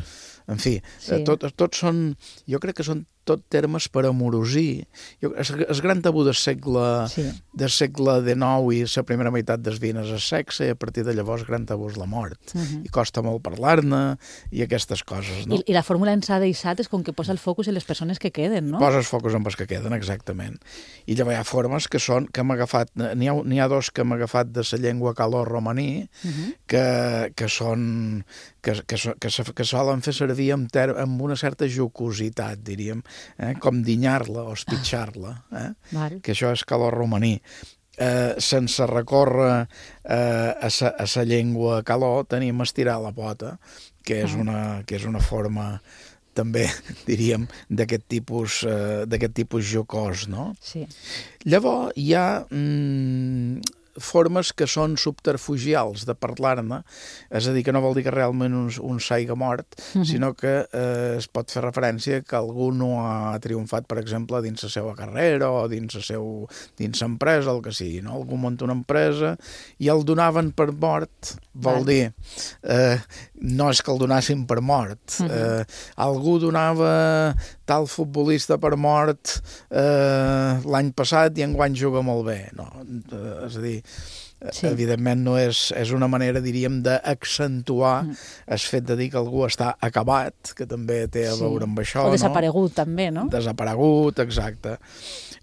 en fi, Sí. eh, tot, tots són... Jo crec que són tot termes per amorosir. Jo, el, el gran tabú del segle, sí. del segle dinou i la primera meitat dels vint és el sexe, i a partir de llavors el gran tabú és la mort. Uh -huh. I costa molt parlar-ne i aquestes coses, no? I, I la fórmula en s'ha deixat és com que posa el focus en les persones que queden, no? Poses focus en les que queden, exactament. I llavors hi ha formes que són, que hem agafat, n'hi ha, n'hi ha dos que hem agafat de la llengua caló-romaní, Uh -huh. que, que són, que, que, que, que, que solen fer servir amb, ter, amb una certa jocositat, diríem, eh? Com dinyar-la o espitxar-la, eh? Val. Que això és caló-romaní. Eh, sense recórrer eh, a sa, a sa llengua caló, tenim estirar la pota, que és, Ah. una, que és una forma també, diríem, d'aquest tipus, eh, d'aquest tipus jocós, no? Sí. Llavors hi ha mm, formes que són subterfugials de parlar-ne, és a dir, que no vol dir que realment un, un s'haiga mort, uh -huh. sinó que eh, es pot fer referència que algú no ha triomfat, per exemple, dins la seva carrera o dins la seu, dins l'empresa, el que sigui, no? Algú munta una empresa i el donaven per mort, vol Val. dir, eh, no és que el donassin per mort, uh -huh. eh, algú donava tal futbolista per mort eh, l'any passat i enguany juga molt bé, no? Eh, és a dir, sí. evidentment no és, és una manera, diríem, d'accentuar mm. el fet de dir que algú està acabat, que també té a veure amb això, o desaparegut, no? També, no? Desaparegut, exacte.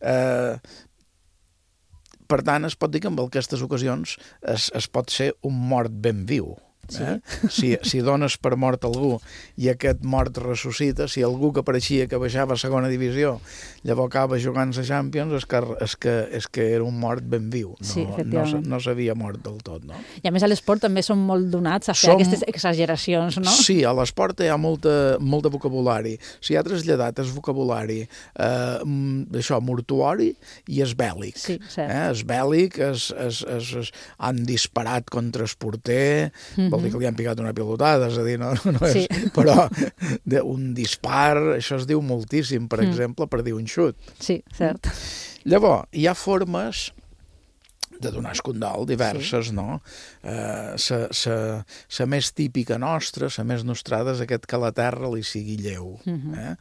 Eh, per tant, es pot dir que en aquestes ocasions es, es pot ser un mort ben viu. Sí. Eh? Si, si dones per mort algú i aquest mort ressuscita, si algú que pareixia que baixava a segona divisió llavors acaba jugant a Champions, és que, és que, és que era un mort ben viu, no, sí, no, no s'havia mort del tot, no? I a més a l'esport també són molt donats a fer Som... aquestes exageracions, no? Sí, a l'esport hi ha molta, molt de vocabulari. Si ha traslladat el vocabulari eh, això, mortuori i és bèl·lic. Sí, cert. Eh? És bèl·lic, es, es, es, es, han disparat contra el porter, mm-hmm. vol dir que li han picat una pilotada, és a dir, no, no és, sí. però de, un dispar, això es diu moltíssim, per mm. exemple, per dir un xut. Sí, cert. Llavors, hi ha formes de donar escondol, diverses, sí. no? Eh, sa, sa, sa més típica nostra, sa més nostrada, és aquest que la terra li sigui lleu. Mm-hmm. eh?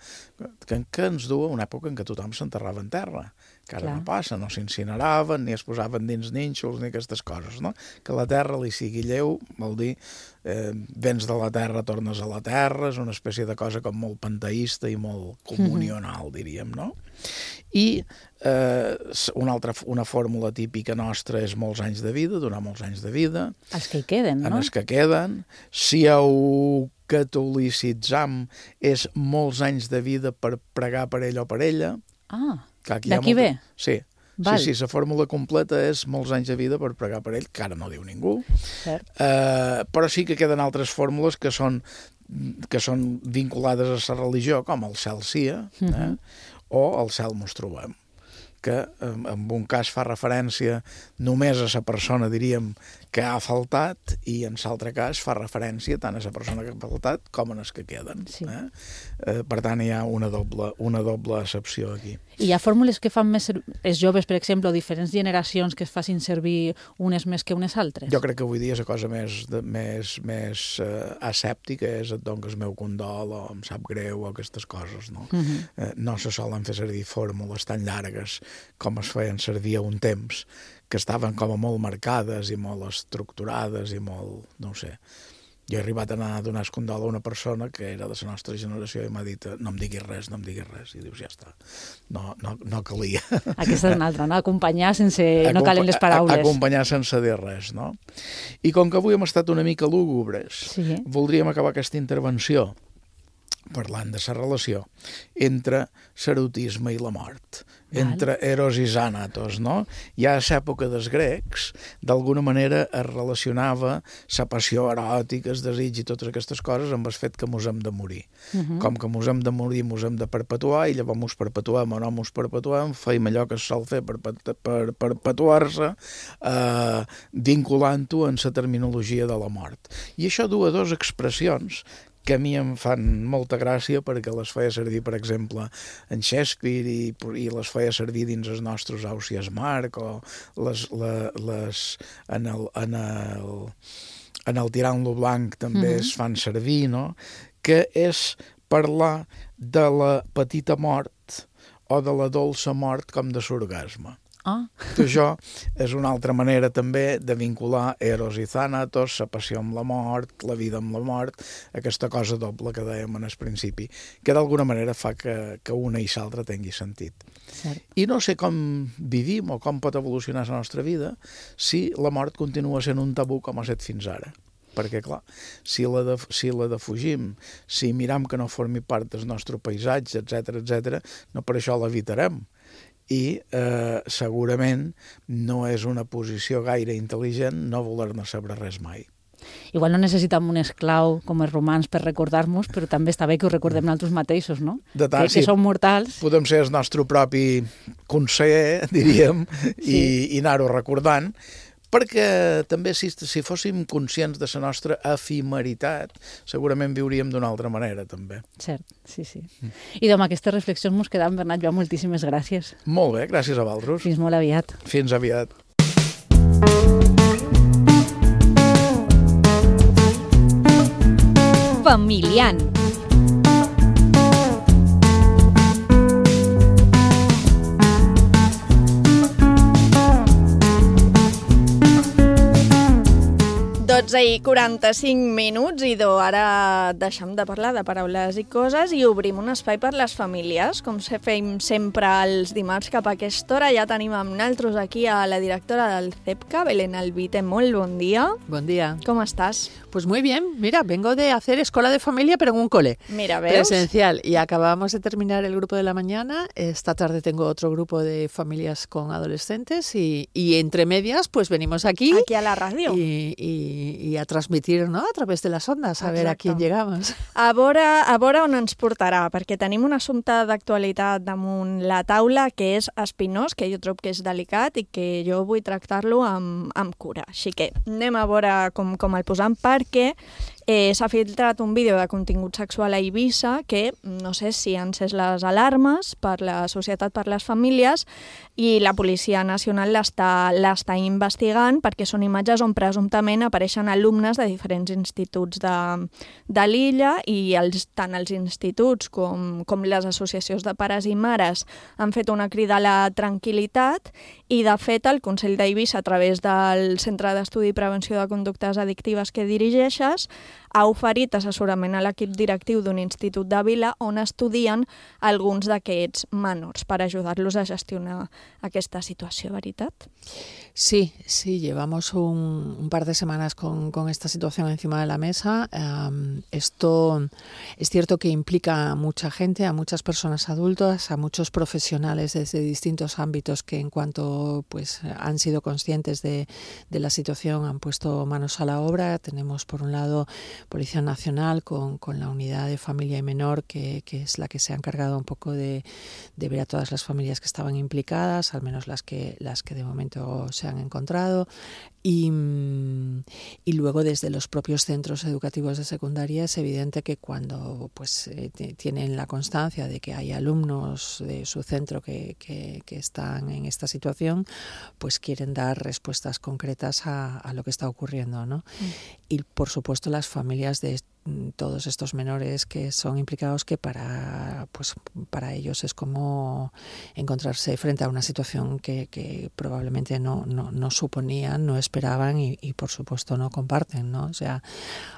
que, que ens du a una època en què tothom s'enterrava en terra, que ara Clar. no passa, no s'incineraven, ni es posaven dins nínxols, ni aquestes coses, no? Que la terra li sigui lleu, vol dir, eh, vens de la terra, tornes a la terra, és una espècie de cosa com molt panteísta i molt comunional, mm-hmm. diríem, no? I eh, una altra una fórmula típica nostra és molts anys de vida, donar molts anys de vida. Els que hi queden, no? En els que queden. Si ho catolicitzam, és molts anys de vida per pregar per ell o per ella. Ah, d'aquí molta... ve? Sí. Val. Sí, sí, la fórmula completa és molts anys de vida per pregar per ell, que ara no diu ningú. Cert. Eh, però sí que queden altres fórmules que són, que són vinculades a la religió, com el cel sia, eh? Mm-hmm. o el cel mos trobem, que en un cas fa referència només a la persona, diríem, que ha faltat, i en l'altre cas fa referència tant a la persona que ha faltat com a les que queden. Sí. Eh? Eh, per tant, hi ha una doble, una doble accepció aquí. I hi ha fórmules que fan més els joves, per exemple, o diferents generacions que es facin servir unes més que unes altres? Jo crec que avui dia la cosa més, de, més, més uh, asèptica és et dono el meu condol o em sap greu o aquestes coses, no? Uh-huh. eh, no se solen fer servir fórmules tan llargues com es feien servir a un temps, que estaven com a molt marcades i molt estructurades i molt, no ho sé. Jo he arribat a anar a donar escondol a una persona que era de la nostra generació i m'ha dit no em diguis res, no em diguis res. I dius, ja està, no, no, no calia. Aquesta és una altra, no? Acompanyar sense... no calen les paraules. Acompanyar sense dir res, no? I com que avui hem estat una mica lúgubres, sí. voldríem acabar aquesta intervenció parlant de la relació entre l'erotisme i la mort, Val. entre Eros i Thanatos, no? Ja a l'època dels grecs, d'alguna manera es relacionava la passió eròtica, el desig i totes aquestes coses amb el fet que mos hem de morir. Uh -huh. Com que mos hem de morir, mos hem de perpetuar, i llavors mos perpetuem o no mos perpetuem, feim allò que es sol fer per, per, per perpetuar-se, eh, vinculant-ho en la terminologia de la mort. I això du a dues expressions que a mi em fan molta gràcia perquè les feia servir, per exemple, en Shakespeare i, i les feia servir dins els nostres Ausiàs Marc o les, les, les, en, el, en, el, en el Tirant-lo Blanc també mm-hmm. es fan servir, no? Que és parlar de la petita mort o de la dolça mort com de l'orgasme. Ah. Que això és una altra manera també de vincular Eros i Thanatos, la passió amb la mort, la vida amb la mort, aquesta cosa doble que dèiem en el principi, que d'alguna manera fa que, que una i l'altra tingui sentit. Cert. I no sé com vivim o com pot evolucionar la nostra vida si la mort continua sent un tabú com ha estat fins ara. Perquè, clar, si la, de, si la defugim, si miram que no formi part del nostre paisatge, etcètera, etcètera, no per això l'evitarem. I eh, segurament no és una posició gaire intel·ligent no voler-ne saber res mai. Igual no necessitem un esclau com els romans per recordar-nos, però també està bé que ho recordem nosaltres mateixos, no? De tant, que, sí, que som mortals. Podem ser el nostre propi conseller, diríem, sí. i, i anar-ho recordant, perquè també si, si fóssim conscients de la nostra efimeritat, segurament viuríem d'una altra manera, també. Cert, sí, sí. Mm. I amb aquestes reflexions mos quedam, Bernat Joan, moltíssimes gràcies. Molt bé, gràcies a vosaltres. Fins molt aviat. Fins aviat. Familiant. dotze i quaranta-cinc minuts i do, ara deixem de parlar de paraules i coses i obrim un espai per les famílies. Com se fem sempre els dimarts cap a aquesta hora, ja tenim amb nosaltres aquí a la directora del CEPCA, Belén Albite. Molt bon dia. Bon día. ¿Cómo estás? Pues muy bien, mira, vengo de hacer escuela de familia pero en un cole. Mira, ¿ves? Presencial. Y acabamos de terminar el grupo de la mañana. Esta tarde tengo otro grupo de familias con adolescentes y, y entre medias pues venimos aquí. Aquí a la radio. Y, y, y a transmitir, ¿no?, a través de las ondas, a Exacte. Ver a quién llegamos. A veure, a veure on ens portarà, perquè tenim un assumpte d'actualitat damunt la taula que és espinós, que jo trobo que és delicat i que jo vull tractar-lo amb, amb cura. Així que anem a veure com, com el posam, perquè eh, s'ha filtrat un vídeo de contingut sexual a Eivissa que no sé si han encès les alarmes per la societat, per les famílies, i la Policia Nacional l'està l'està investigant perquè són imatges on presumptament apareixen alumnes de diferents instituts de, de l'illa i els, tant els instituts com, com les associacions de pares i mares han fet una crida a la tranquil·litat i, de fet, el Consell d'Eivissa, a través del Centre d'Estudi i Prevenció de Conductes Addictives que dirigeixes, ha oferit assessorament a l'equip directiu d'un institut de Vila on estudien alguns d'aquests menors per ajudar-los a gestionar aquesta situació, ¿verdad? Sí, sí, llevamos un, un par de semanas con, con esta situación encima de la mesa. Um, esto es cierto que implica a mucha gente, a muchas personas adultas, a muchos profesionales desde distintos ámbitos que en cuanto pues han sido conscientes de, de la situación han puesto manos a la obra. Tenemos por un lado Policía Nacional con, con la unidad de familia y menor que, que es la que se ha encargado un poco de, de ver a todas las familias que estaban implicadas, al menos las que, las que de momento se han encontrado. Y, y luego desde los propios centros educativos de secundaria es evidente que cuando pues eh, tienen la constancia de que hay alumnos de su centro que, que, que están en esta situación, pues quieren dar respuestas concretas a, a lo que está ocurriendo, ¿no? Mm. Y por supuesto las familias de todos estos menores que son implicados, que para pues para ellos es como encontrarse frente a una situación que, que probablemente no, no, no suponían, no esperaban y, y por supuesto no comparten, ¿no? O sea,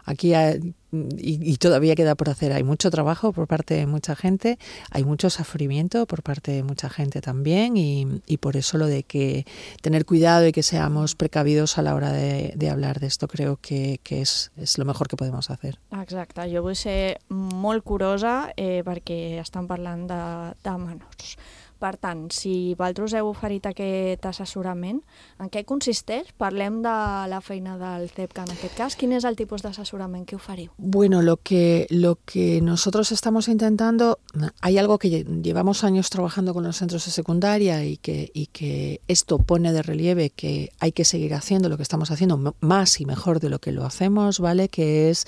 aquí hay, y, y todavía queda por hacer. Hay mucho trabajo por parte de mucha gente, hay mucho sufrimiento por parte de mucha gente también, y, y por eso lo de que tener cuidado y que seamos precavidos a la hora de, de hablar de esto creo que, que és, és lo mejor que podemos hacer. Exacte, jo vull ser molt curosa eh, perquè estan parlant de, de menors. Per tant, si vosaltres heu oferit aquest assessorament, en què consisteix? Parlem de la feina del C E P C A en aquest cas. Quin és el tipus d'assessorament que oferiu? Bueno, lo que, lo que nosotros estamos intentando, hay algo que llevamos años trabajando con los centros de secundaria y que, y que esto pone de relieve que hay que seguir haciendo lo que estamos haciendo más y mejor de lo que lo hacemos, ¿vale? Que es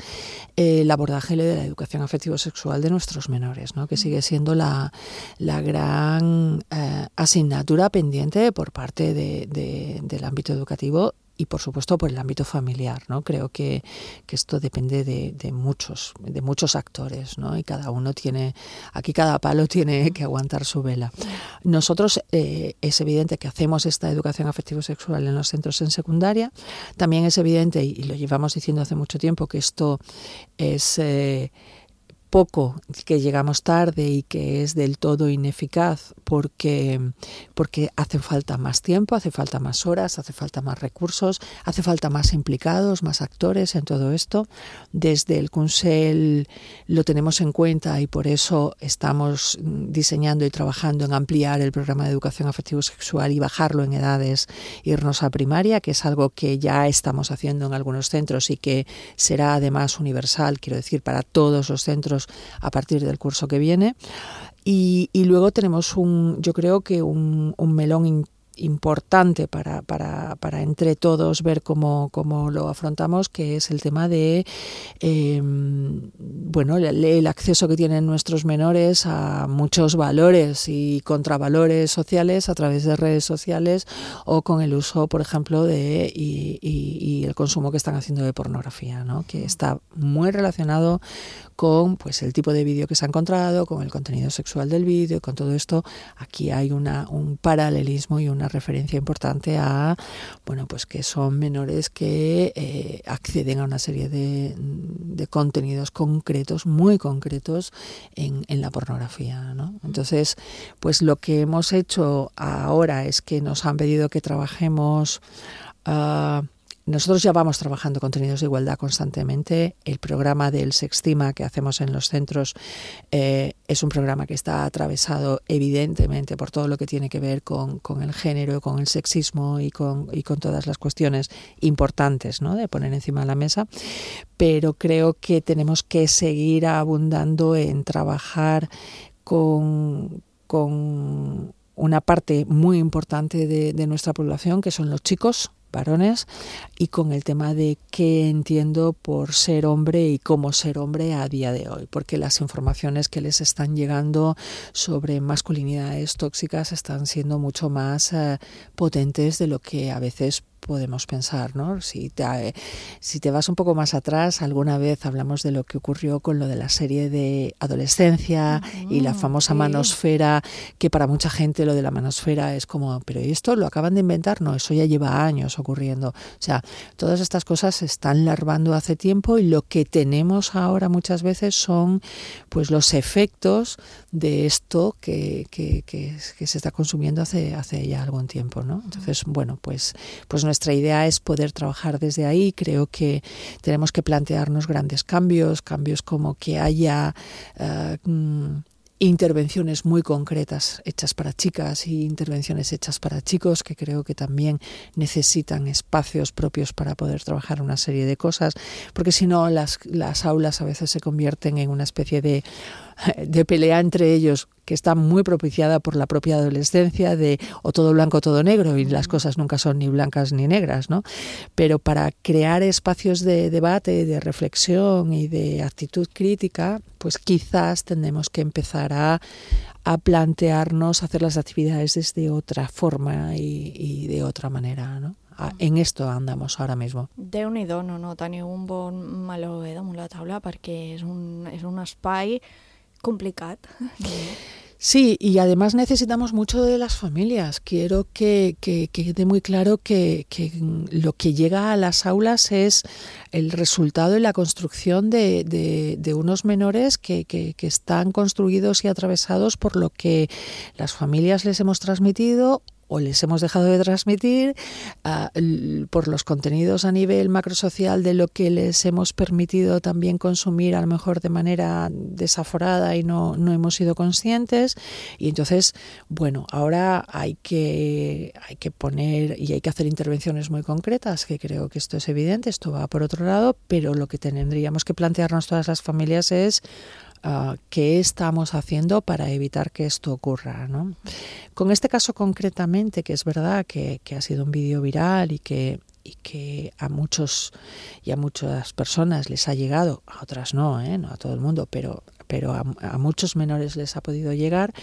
eh, el abordaje de la educación afectivo-sexual de nuestros menores, ¿no? Que sigue siendo la, la gran Eh, asignatura pendiente por parte de, de, del ámbito educativo y por supuesto por el ámbito familiar, ¿no? Creo que, que esto depende de, de muchos, de muchos actores, ¿no? Y cada uno tiene, aquí cada palo tiene que aguantar su vela. Nosotros eh, es evidente que hacemos esta educación afectivo-sexual en los centros en secundaria. También es evidente, y lo llevamos diciendo hace mucho tiempo, que esto es eh, poco, que llegamos tarde y que es del todo ineficaz porque, porque hace falta más tiempo, hace falta más horas, hace falta más recursos, hace falta más implicados, más actores en todo esto. Desde el Consell lo tenemos en cuenta y por eso estamos diseñando y trabajando en ampliar el programa de educación afectivo-sexual y bajarlo en edades, irnos a primaria, que es algo que ya estamos haciendo en algunos centros y que será además universal, quiero decir, para todos los centros a partir del curso que viene. Y, y luego tenemos un, yo creo que un, un melón in, importante para, para, para entre todos ver cómo, cómo lo afrontamos, que es el tema de eh, bueno, el, el acceso que tienen nuestros menores a muchos valores y contravalores sociales a través de redes sociales o con el uso, por ejemplo, de y, y, y el consumo que están haciendo de pornografía, ¿no? Que está muy relacionado con pues el tipo de vídeo que se ha encontrado, con el contenido sexual del vídeo, con todo esto. Aquí hay una, un paralelismo y una referencia importante a, bueno, pues que son menores que eh, acceden a una serie de, de contenidos concretos, muy concretos en, en la pornografía, ¿no? Entonces, pues lo que hemos hecho ahora es que nos han pedido que trabajemos uh, nosotros ya vamos trabajando contenidos de igualdad constantemente. El programa del Sextima que hacemos en los centros eh, es un programa que está atravesado evidentemente por todo lo que tiene que ver con, con el género, con el sexismo y con, y con todas las cuestiones importantes, ¿no? De poner encima de la mesa. Pero creo que tenemos que seguir abundando en trabajar con, con una parte muy importante de, de nuestra población, que son los chicos, varones, y con el tema de qué entiendo por ser hombre y cómo ser hombre a día de hoy, porque las informaciones que les están llegando sobre masculinidades tóxicas están siendo mucho más eh, potentes de lo que a veces podemos pensar, ¿no? Si te, si te vas un poco más atrás, alguna vez hablamos de lo que ocurrió con lo de la serie de Adolescencia uh-huh, y la famosa sí. manosfera, que para mucha gente lo de la manosfera es como, pero ¿esto lo acaban de inventar? No, eso ya lleva años ocurriendo. O sea, todas estas cosas se están larvando hace tiempo y lo que tenemos ahora muchas veces son pues los efectos de esto que, que, que, que se está consumiendo hace, hace ya algún tiempo, ¿no? Entonces, bueno, pues, pues nuestra idea es poder trabajar desde ahí. Creo que tenemos que plantearnos grandes cambios, cambios como que haya uh, intervenciones muy concretas hechas para chicas y intervenciones hechas para chicos, que creo que también necesitan espacios propios para poder trabajar una serie de cosas, porque si no las, las aulas a veces se convierten en una especie de de pelea entre ellos que está muy propiciada por la propia adolescencia de o todo blanco o todo negro, y las cosas nunca son ni blancas ni negras, ¿no? Pero para crear espacios de debate, de reflexión y de actitud crítica, pues quizás tendremos que empezar a, a plantearnos hacer las actividades desde otra forma y, y de otra manera, ¿no? En esto andamos ara mismo. Déu-n'hi-do, no, no, teniu un bon meló eh, damunt la taula, perquè és un, és un espai complicat. Sí, y además necesitamos mucho de las familias. Quiero que, que, que quede muy claro que, que lo que llega a las aulas es el resultado y la construcción de, de, de unos menores que, que, que están construidos y atravesados por lo que las familias les hemos transmitido o les hemos dejado de transmitir, uh, por los contenidos a nivel macrosocial de lo que les hemos permitido también consumir a lo mejor de manera desaforada y no, no hemos sido conscientes. Y entonces, bueno, ahora hay que, hay que poner y hay que hacer intervenciones muy concretas, que creo que esto es evidente, esto va por otro lado, pero lo que tendríamos que plantearnos todas las familias es Uh, qué estamos haciendo para evitar que esto ocurra, ¿no? Con este caso concretamente, que es verdad que, que ha sido un vídeo viral y que, y que a muchos y a muchas personas les ha llegado, a otras no, ¿eh? No a todo el mundo, pero, pero a, a muchos menores les ha podido llegar.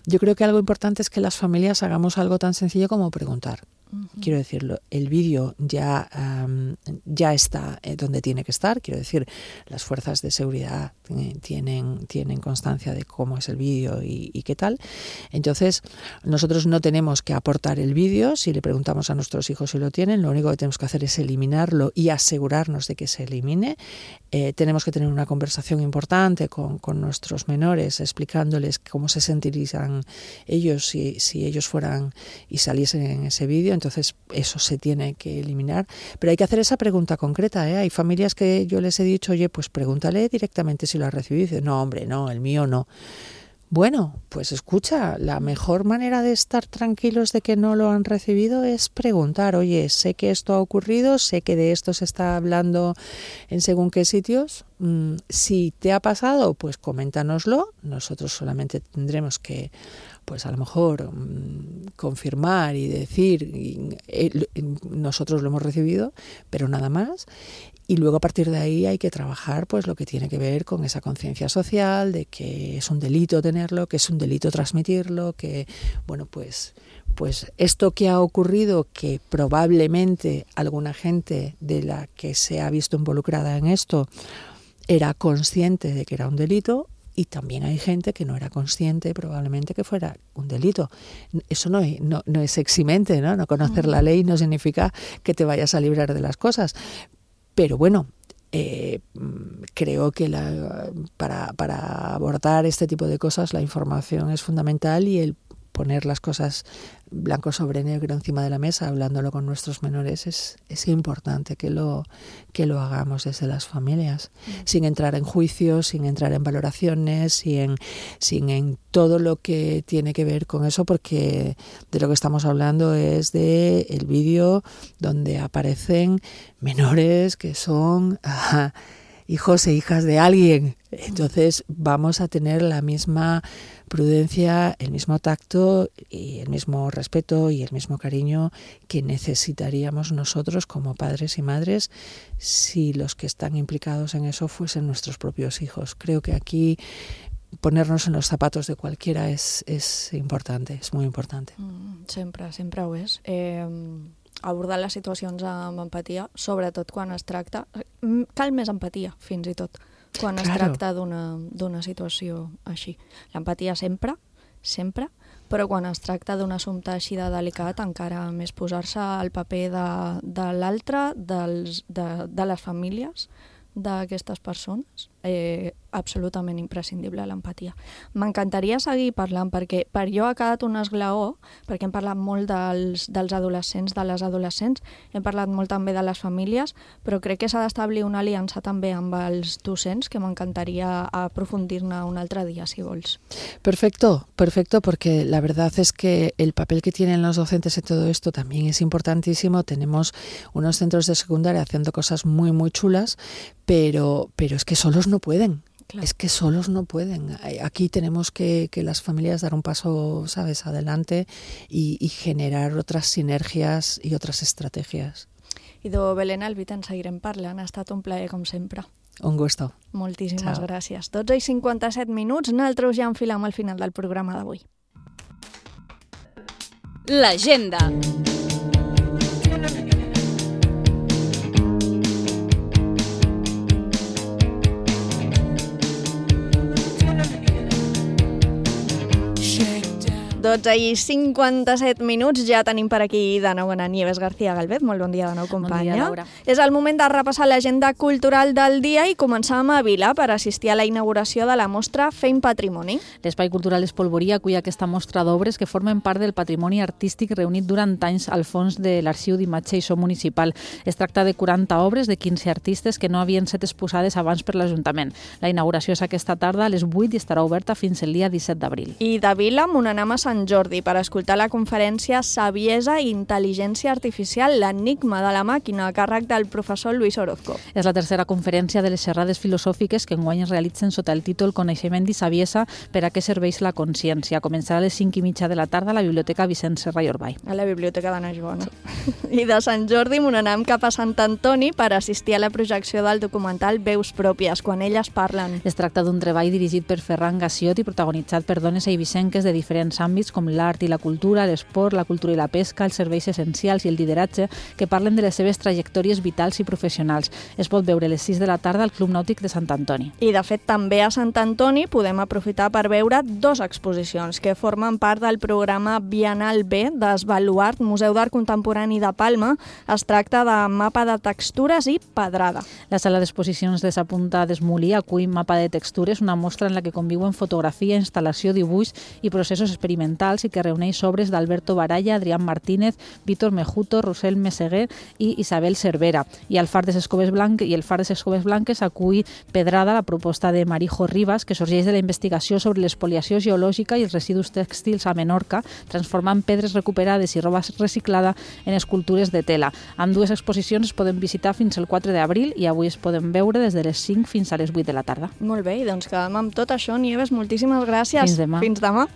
Yo creo que algo importante es que las familias hagamos algo tan sencillo como preguntar. Uh-huh. Quiero decirlo, el vídeo ya, um, ya está eh, donde tiene que estar. Quiero decir, las fuerzas de seguridad eh, tienen, tienen constancia de cómo es el vídeo y, y qué tal. Entonces, nosotros no tenemos que aportar el vídeo. Si le preguntamos a nuestros hijos si lo tienen, lo único que tenemos que hacer es eliminarlo y asegurarnos de que se elimine. Eh, tenemos que tener una conversación importante con, con nuestros menores, explicándoles cómo se sentirían ellos si, si ellos fueran y saliesen en ese vídeo. Entonces eso se tiene que eliminar, pero hay que hacer esa pregunta concreta, ¿eh? Hay familias que yo les he dicho, oye, pues pregúntale directamente si lo has recibido, y dice, no, hombre, no, el mío no. Bueno, pues escucha, la mejor manera de estar tranquilos de que no lo han recibido es preguntar, oye, sé que esto ha ocurrido, sé que de esto se está hablando en según qué sitios, mm, si te ha pasado, pues coméntanoslo, nosotros solamente tendremos que, pues a lo mejor mmm, confirmar y decir, y, eh, nosotros lo hemos recibido, pero nada más. Y luego a partir de ahí hay que trabajar pues lo que tiene que ver con esa conciencia social de que es un delito tenerlo, que es un delito transmitirlo, que bueno pues pues esto que ha ocurrido, que probablemente alguna gente de la que se ha visto involucrada en esto era consciente de que era un delito, y también hay gente que no era consciente probablemente que fuera un delito. Eso no, no, no es eximente, ¿no? No conocer la ley no significa que te vayas a librar de las cosas. Pero bueno, eh, creo que la, para, para abordar este tipo de cosas la información es fundamental y el poner las cosas blanco sobre negro encima de la mesa, hablándolo con nuestros menores, es, es importante que lo, que lo hagamos desde las familias, mm. sin entrar en juicios, sin entrar en valoraciones, sin, sin en todo lo que tiene que ver con eso, porque de lo que estamos hablando es de el vídeo donde aparecen menores que son ajá, hijos e hijas de alguien. Entonces vamos a tener la misma prudencia, el mismo tacto y el mismo respeto y el mismo cariño que necesitaríamos nosotros como padres y madres si los que están implicados en eso fuesen nuestros propios hijos. Creo que aquí ponernos en los zapatos de cualquiera es, es importante, es muy importante. Mm, sempre, sempre ho és. Eh, abordar les situacions amb empatia, sobretot quan es tracta... Cal més empatia, fins i tot, quan claro. es tracta d'una situació així. L'empatia sempre, sempre, però quan es tracta d'un assumpte així de delicat, encara més posar-se al paper de, de l'altre, de, de les famílies d'aquestes persones, eh, absolutament imprescindible l'empatia. M'encantaria seguir parlant perquè per jo ha quedat un esglaó, perquè hem parlat molt dels, dels adolescents, de les adolescents, hem parlat molt també de les famílies, però crec que s'ha d'establir una aliança també amb els docents, que m'encantaría aprofundir-ne un altre día, si vols. Perfecto, perfecto, porque la verdad es que el papel que tienen los docentes en todo esto también es importantísimo. Tenemos unos centros de secundaria haciendo cosas muy, muy chulas, pero, pero es que solos no pueden. Claro. Es que solos no pueden. Aquí tenemos que, que las familias dar un paso, ¿sabes?, adelante y, y generar otras sinergias i otras estrategias. Idò, Belén Albit, en seguirem parlant. Ha estat un plaer, com sempre. Un gusto. Moltíssimes Ciao. Gràcies. dotze i cinquanta-set minuts, nosaltres ja enfilem al final del programa d'avui. L'agenda. dotze i cinquanta-set minuts, ja tenim per aquí de nou en Nieves García Galvez. Molt bon dia de nou, companya. Bon dia, Laura. És el moment de repassar l'agenda cultural del dia i començar a Vila per assistir a la inauguració de la mostra Fem Patrimoni. L'Espai Cultural Espolvorí acull aquesta mostra d'obres que formen part del patrimoni artístic reunit durant anys al fons de l'Arxiu d'Imatge i So Municipal. Es tracta de quaranta obres de quinze artistes que no havien estat exposades abans per l'Ajuntament. La inauguració és aquesta tarda a les vuit i estarà oberta fins el dia disset d'abril. I de Vila, Monanam a Sant Jordi per escoltar la conferència Saviesa i Intel·ligència Artificial, l'enigma de la màquina, a càrrec del professor Luis Orozco. És la tercera conferència de les xerrades filosòfiques que enguany es realitzen sota el títol Coneixement i saviesa per a què serveix la consciència. Començarà a les cinc i mitja de la tarda a la Biblioteca Vicent Serra i Orbay. A la Biblioteca de Naixbona. I de Sant Jordi, Monanam cap a Sant Antoni per assistir a la projecció del documental Veus pròpies, quan elles parlen. Es tracta d'un treball dirigit per Ferran Gassiot i protagonitzat per dones eivissenques de diferents àmbits com l'art i la cultura, l'esport, la cultura i la pesca, els serveis essencials i el lideratge, que parlen de les seves trajectòries vitals i professionals. Es pot veure a les sis de la tarda al Club Nàutic de Sant Antoni. I, de fet, també a Sant Antoni podem aprofitar per veure dues exposicions que formen part del programa Bienal B d'Esbaluart, Museu d'Art Contemporani de Palma. Es tracta de Mapa de Textures i Pedrada. La sala d'exposicions de Sa Punta d'Esmolí acull Mapa de Textures, una mostra en la que conviuen fotografia, instal·lació, dibuix i processos experimentals i que reuneix obres d'Alberto Baralla, Adrián Martínez, Víctor Mejuto, Rosel Meseguer i Isabel Cervera. I el Far de Escoves Blanques i el Far de Escoves Blanques acull Pedrada, la proposta de Marijo Rivas, que sorgeix de la investigació sobre l'espoliació geològica i els residus tèxtils a Menorca, transformant pedres recuperades i roba reciclada en escultures de tela. Amb dues exposicions es poden visitar fins el quatre d'abril i avui es poden veure des de les cinc fins a les vuit de la tarda. Molt bé, i doncs quedem amb tot això. Nieves, moltíssimes gràcies. Fins demà. Fins demà.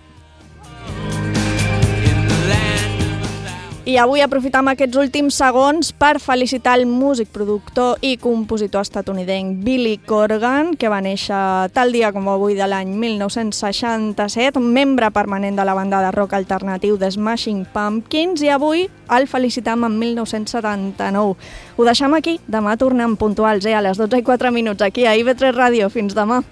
I avui aprofitam aquests últims segons per felicitar el músic, productor i compositor estatunidenc Billy Corgan, que va néixer tal dia com avui de l'any mil nou-cents seixanta-set, membre permanent de la banda de rock alternatiu The Smashing Pumpkins, i avui el felicitam en mil nou-cents setanta-nou. Ho deixem aquí, demà tornem puntuals, eh, a les dotze i quatre minuts aquí a I V tres Ràdio. Fins demà.